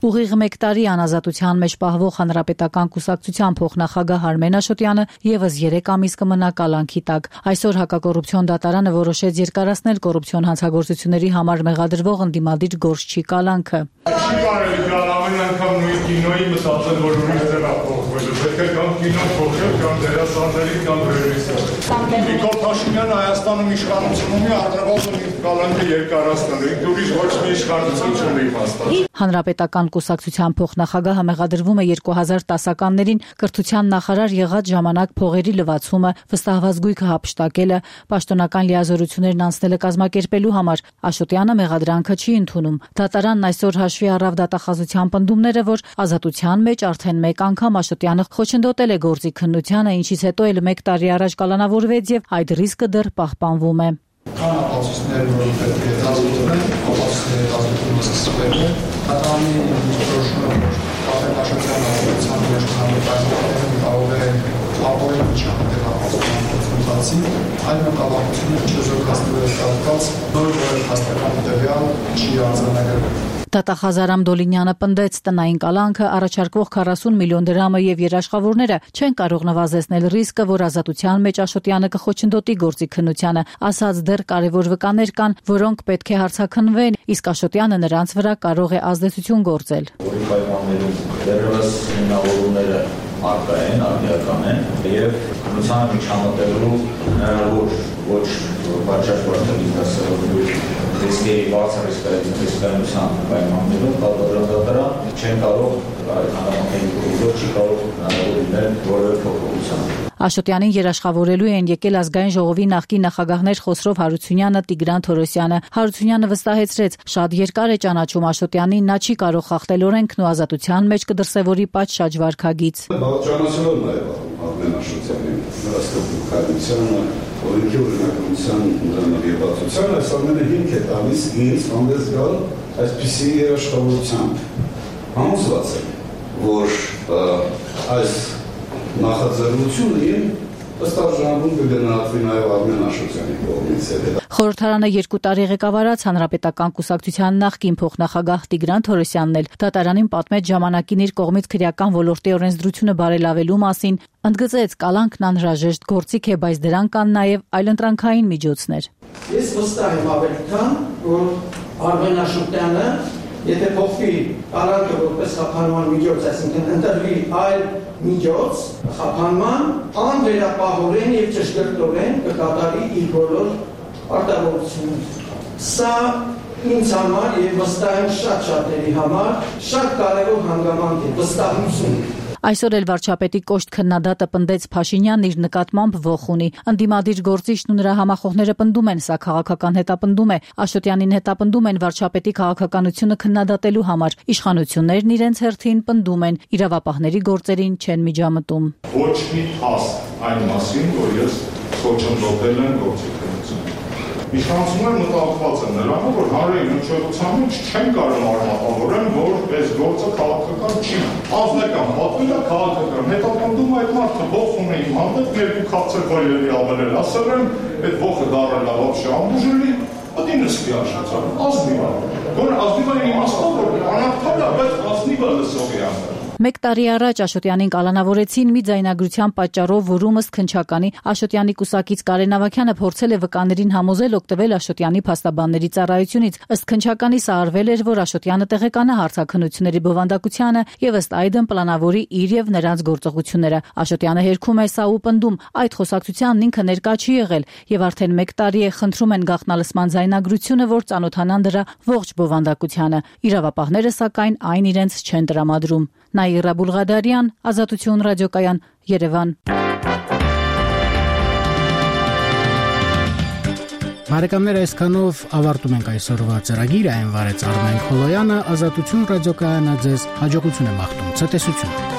Ուղիղ 1 տարի անազատության մեջ պահվող հանրապետական կուսակցության փոխնախագահ Արմեն Աշոտյանը եւս 3 ամիս կմնա կալանքի տակ։ Այսօր հակակոռուպցիոն դատարանը որոշեց երկարացնել կոռուպցիոն հանցագործությունների համար մեղադրվող ընդդիմադիր Գորշչի կալանքը։ Չի կարելի գալ ամեն անգամ նույն կինոյի մտածել, որ ուրիշ տեղափոխվելու, պետք է կամ կինո փոխել, կամ դերասանների, կամ ռեժիսոր։ Նիկոլ Փաշինյանը Հայաստանում իշխանություն ունի, առնվազն իր կալանքը երկարացնելու, ինքը ուրիշ ոչ մի իշխանություն չունի հաստատ։ Հանրապետական կուսակցության փոխնախագահը մեղադրվում է 2010-ականներին կրթության նախարար եղած ժամանակ փողերի լվացումը, վստահված գույքը հափշտակելը, պաշտոնական լիազորություններն անցնելը կազմակերպելու համար։ Աշոտյանը մեղադրանքը չի ընդունում։ Դատարանն այսօր հաշվի առավ դատախազության պնդումները, որ ազատության մեջ արդեն 1 անգամ Աշոտյանը խոչընդոտել է գործի քննությանը, ինչից հետո էլ 1 տարի առաջ կալանավորվեց եւ այդ ռիսկը դեռ պահպանվում է։ Կան ապացույցներ, որ պետք է հետազոտվեն, ապացույցների հետազոտումը սկսվել է։ Դատարանի որոշումը, որ Արմեն Աշոտյանը ազատության մեջ հանրապետական կարող է ապօրինի չհանդեպ ապացուցման գործընթացի, այլ մտավախություններ չզորացնելու կապված նոր հաստատական տվյալ չի արձանագրվել։ Դատախազ Արամ Դոլինյանը պնդեց տնային կալանքը, առաջարկվող 40 միլիոն դրամը եւ երաշխավորները չեն կարող նվազեցնել ռիսկը, որ ազատության մեջ Աշոտյանը կխոչընդոտի գործի քննությանը, ասած դեռ կարևոր վկաներ կան, որոնք պետք է հարցաքննվեն, իսկ Աշոտյանը նրանց վրա կարող է ազդեցություն գործել։ Որի պայմաններում դեռևս հիմնավորումները առկա են, արդիական են եւ քննությանը միջամտելու հնարավոր ոչ պատշաճ պրոցեսի ռիսկերի բարձր ռիսկայնության պայմաններում դատարան չեն կարող չի կարող հնարավորիներ որևէ փոփոխության։ Աշոտյանին երաշխավորելու են եկել ազգային ժողովի նախկին նախագահներ Խոսրով Հարությունյանը, Տիգրան Թորոսյանը։ Հարությունյանը վստահեցրեց, շատ երկար է ճանաչում Աշոտյանին, նա չի կարող խախտել օրենքն ու ազատության մեջ կդրսևորի պատշաճ վարքագիծ։ Ճանաչելով նաև Արմեն Աշոտյանին, նրա ստեղծողությանը, օրենքի օրինակության ներբացության, այս ամենը հիմք է տալիս ինձ հանդես գալ այսպիսի երաշխավորությամբ։ Համոզված եմ, որ այս նախաձեռնությունը ըստ արժանապատվում կգնահատվի նաև Արմեն Աշոտյանի կողմից։ Խորհրդարանը 2 տարի ղեկավարած հանրապետական կուսակցության նախկին փոխնախագահ Տիգրան Թորոսյանն էլ դատարանին պատմեց ժամանակին իր կողմից քրեական ոլորտի օրենսդրությունը բարելավելու մասին, ընդգծեց կալանքն անհրաժեշտ գործիք է, բայց դրան կան նաև այլընտրանքային միջոցներ։ Ես վստահ եմ ավելի քան, որ Արմեն Աշոտյանը եթե փոխվի կալանքը որպես խափանման միջոց, այսինքն ընտրվի այլ միջոց խափանման, անվերապահորեն եւ ճշգրտորեն կկատարի իր բոլոր արտահայտությունները։ Սա ինձ համար եւ վստահ եմ շատ շատերի համար շատ կարեւոր հանգամանք է, վստահություն։ Այսօր էլ վարչապետի կոշտ քննադատը պնդեց Փաշինյանն իր նկատմամբ ոխ ունի։ Ընդդիմադիր գործիչն ու նրա համախոհները պնդում են, սա քաղաքական հետապնդում է։ Աշոտյանին հետապնդում են վարչապետի քաղաքականությունը քննադատելու համար։ Իշխանություններն իրենց հերթին պնդում են, իրավապահների գործերին չեն միջամտում։ Ոչ մի փաստ այն մասին, որ ես խոչընդոտել եմ գործիքնությունը։ Իշխանությունները մտահոգված են նրանով, որ հանրային հնչողության մեջ չեն կարող արմատավորեն, որ այս գործը քաղաքական չի։ Ազնական պատվին է քաղաքական։ Հետապնդում այդ մարդը ոխ ունի իմ հանդեպ, երկու քաղցր վայրերի ավել ասել եմ, այդ ոխը դարել է вообще ամբուժելի, դա ինստի աշխատան, ազնիվ է։ Գոնե ազնիվ է իմաստով, որ անարդար է, բայց ազնիվ է լսող է անդր։ Մեկ տարի առաջ Աշոտյանին կալանավորեցին մի ձայնագրության պատճառով, որում ըստ քննչականի Աշոտյանի կուսակից Կարեն Ավագյանը փորձել է վկաներին համոզել օգտվել Աշոտյանի փաստաբանների ծառայությունից։ Ըստ քննչականի սա արվել էր, որ Աշոտյանը տեղեկանա հարցաքննությունների բովանդակությանը եւ ըստ այդմ պլանավորի իր եւ նրանց գործողությունները։ Աշոտյանը հերքում է սա ու պնդում, այդ խոսակցությանն ինքը ներկա չի եղել եւ արդեն մեկ տարի է խնդրում են գաղտնալսման ձայնագրությունը, որ ծանոթանան դրա ողջ բովանդակությանը։ Իրավապահները սակայն այն իրենց չեն տրամադրում։ Նաիրա Բուլղադարյան, Ազատություն ռադիոկայան, Երևան։ Բարեկամներ, այսքանով ավարտում ենք այսօրվա ծրագիրը, այն վարեց Արմեն Խոլոյանը, Ազատություն ռադիոկայանը ձեզ հաջողություն է մաղթում, ցտեսություն։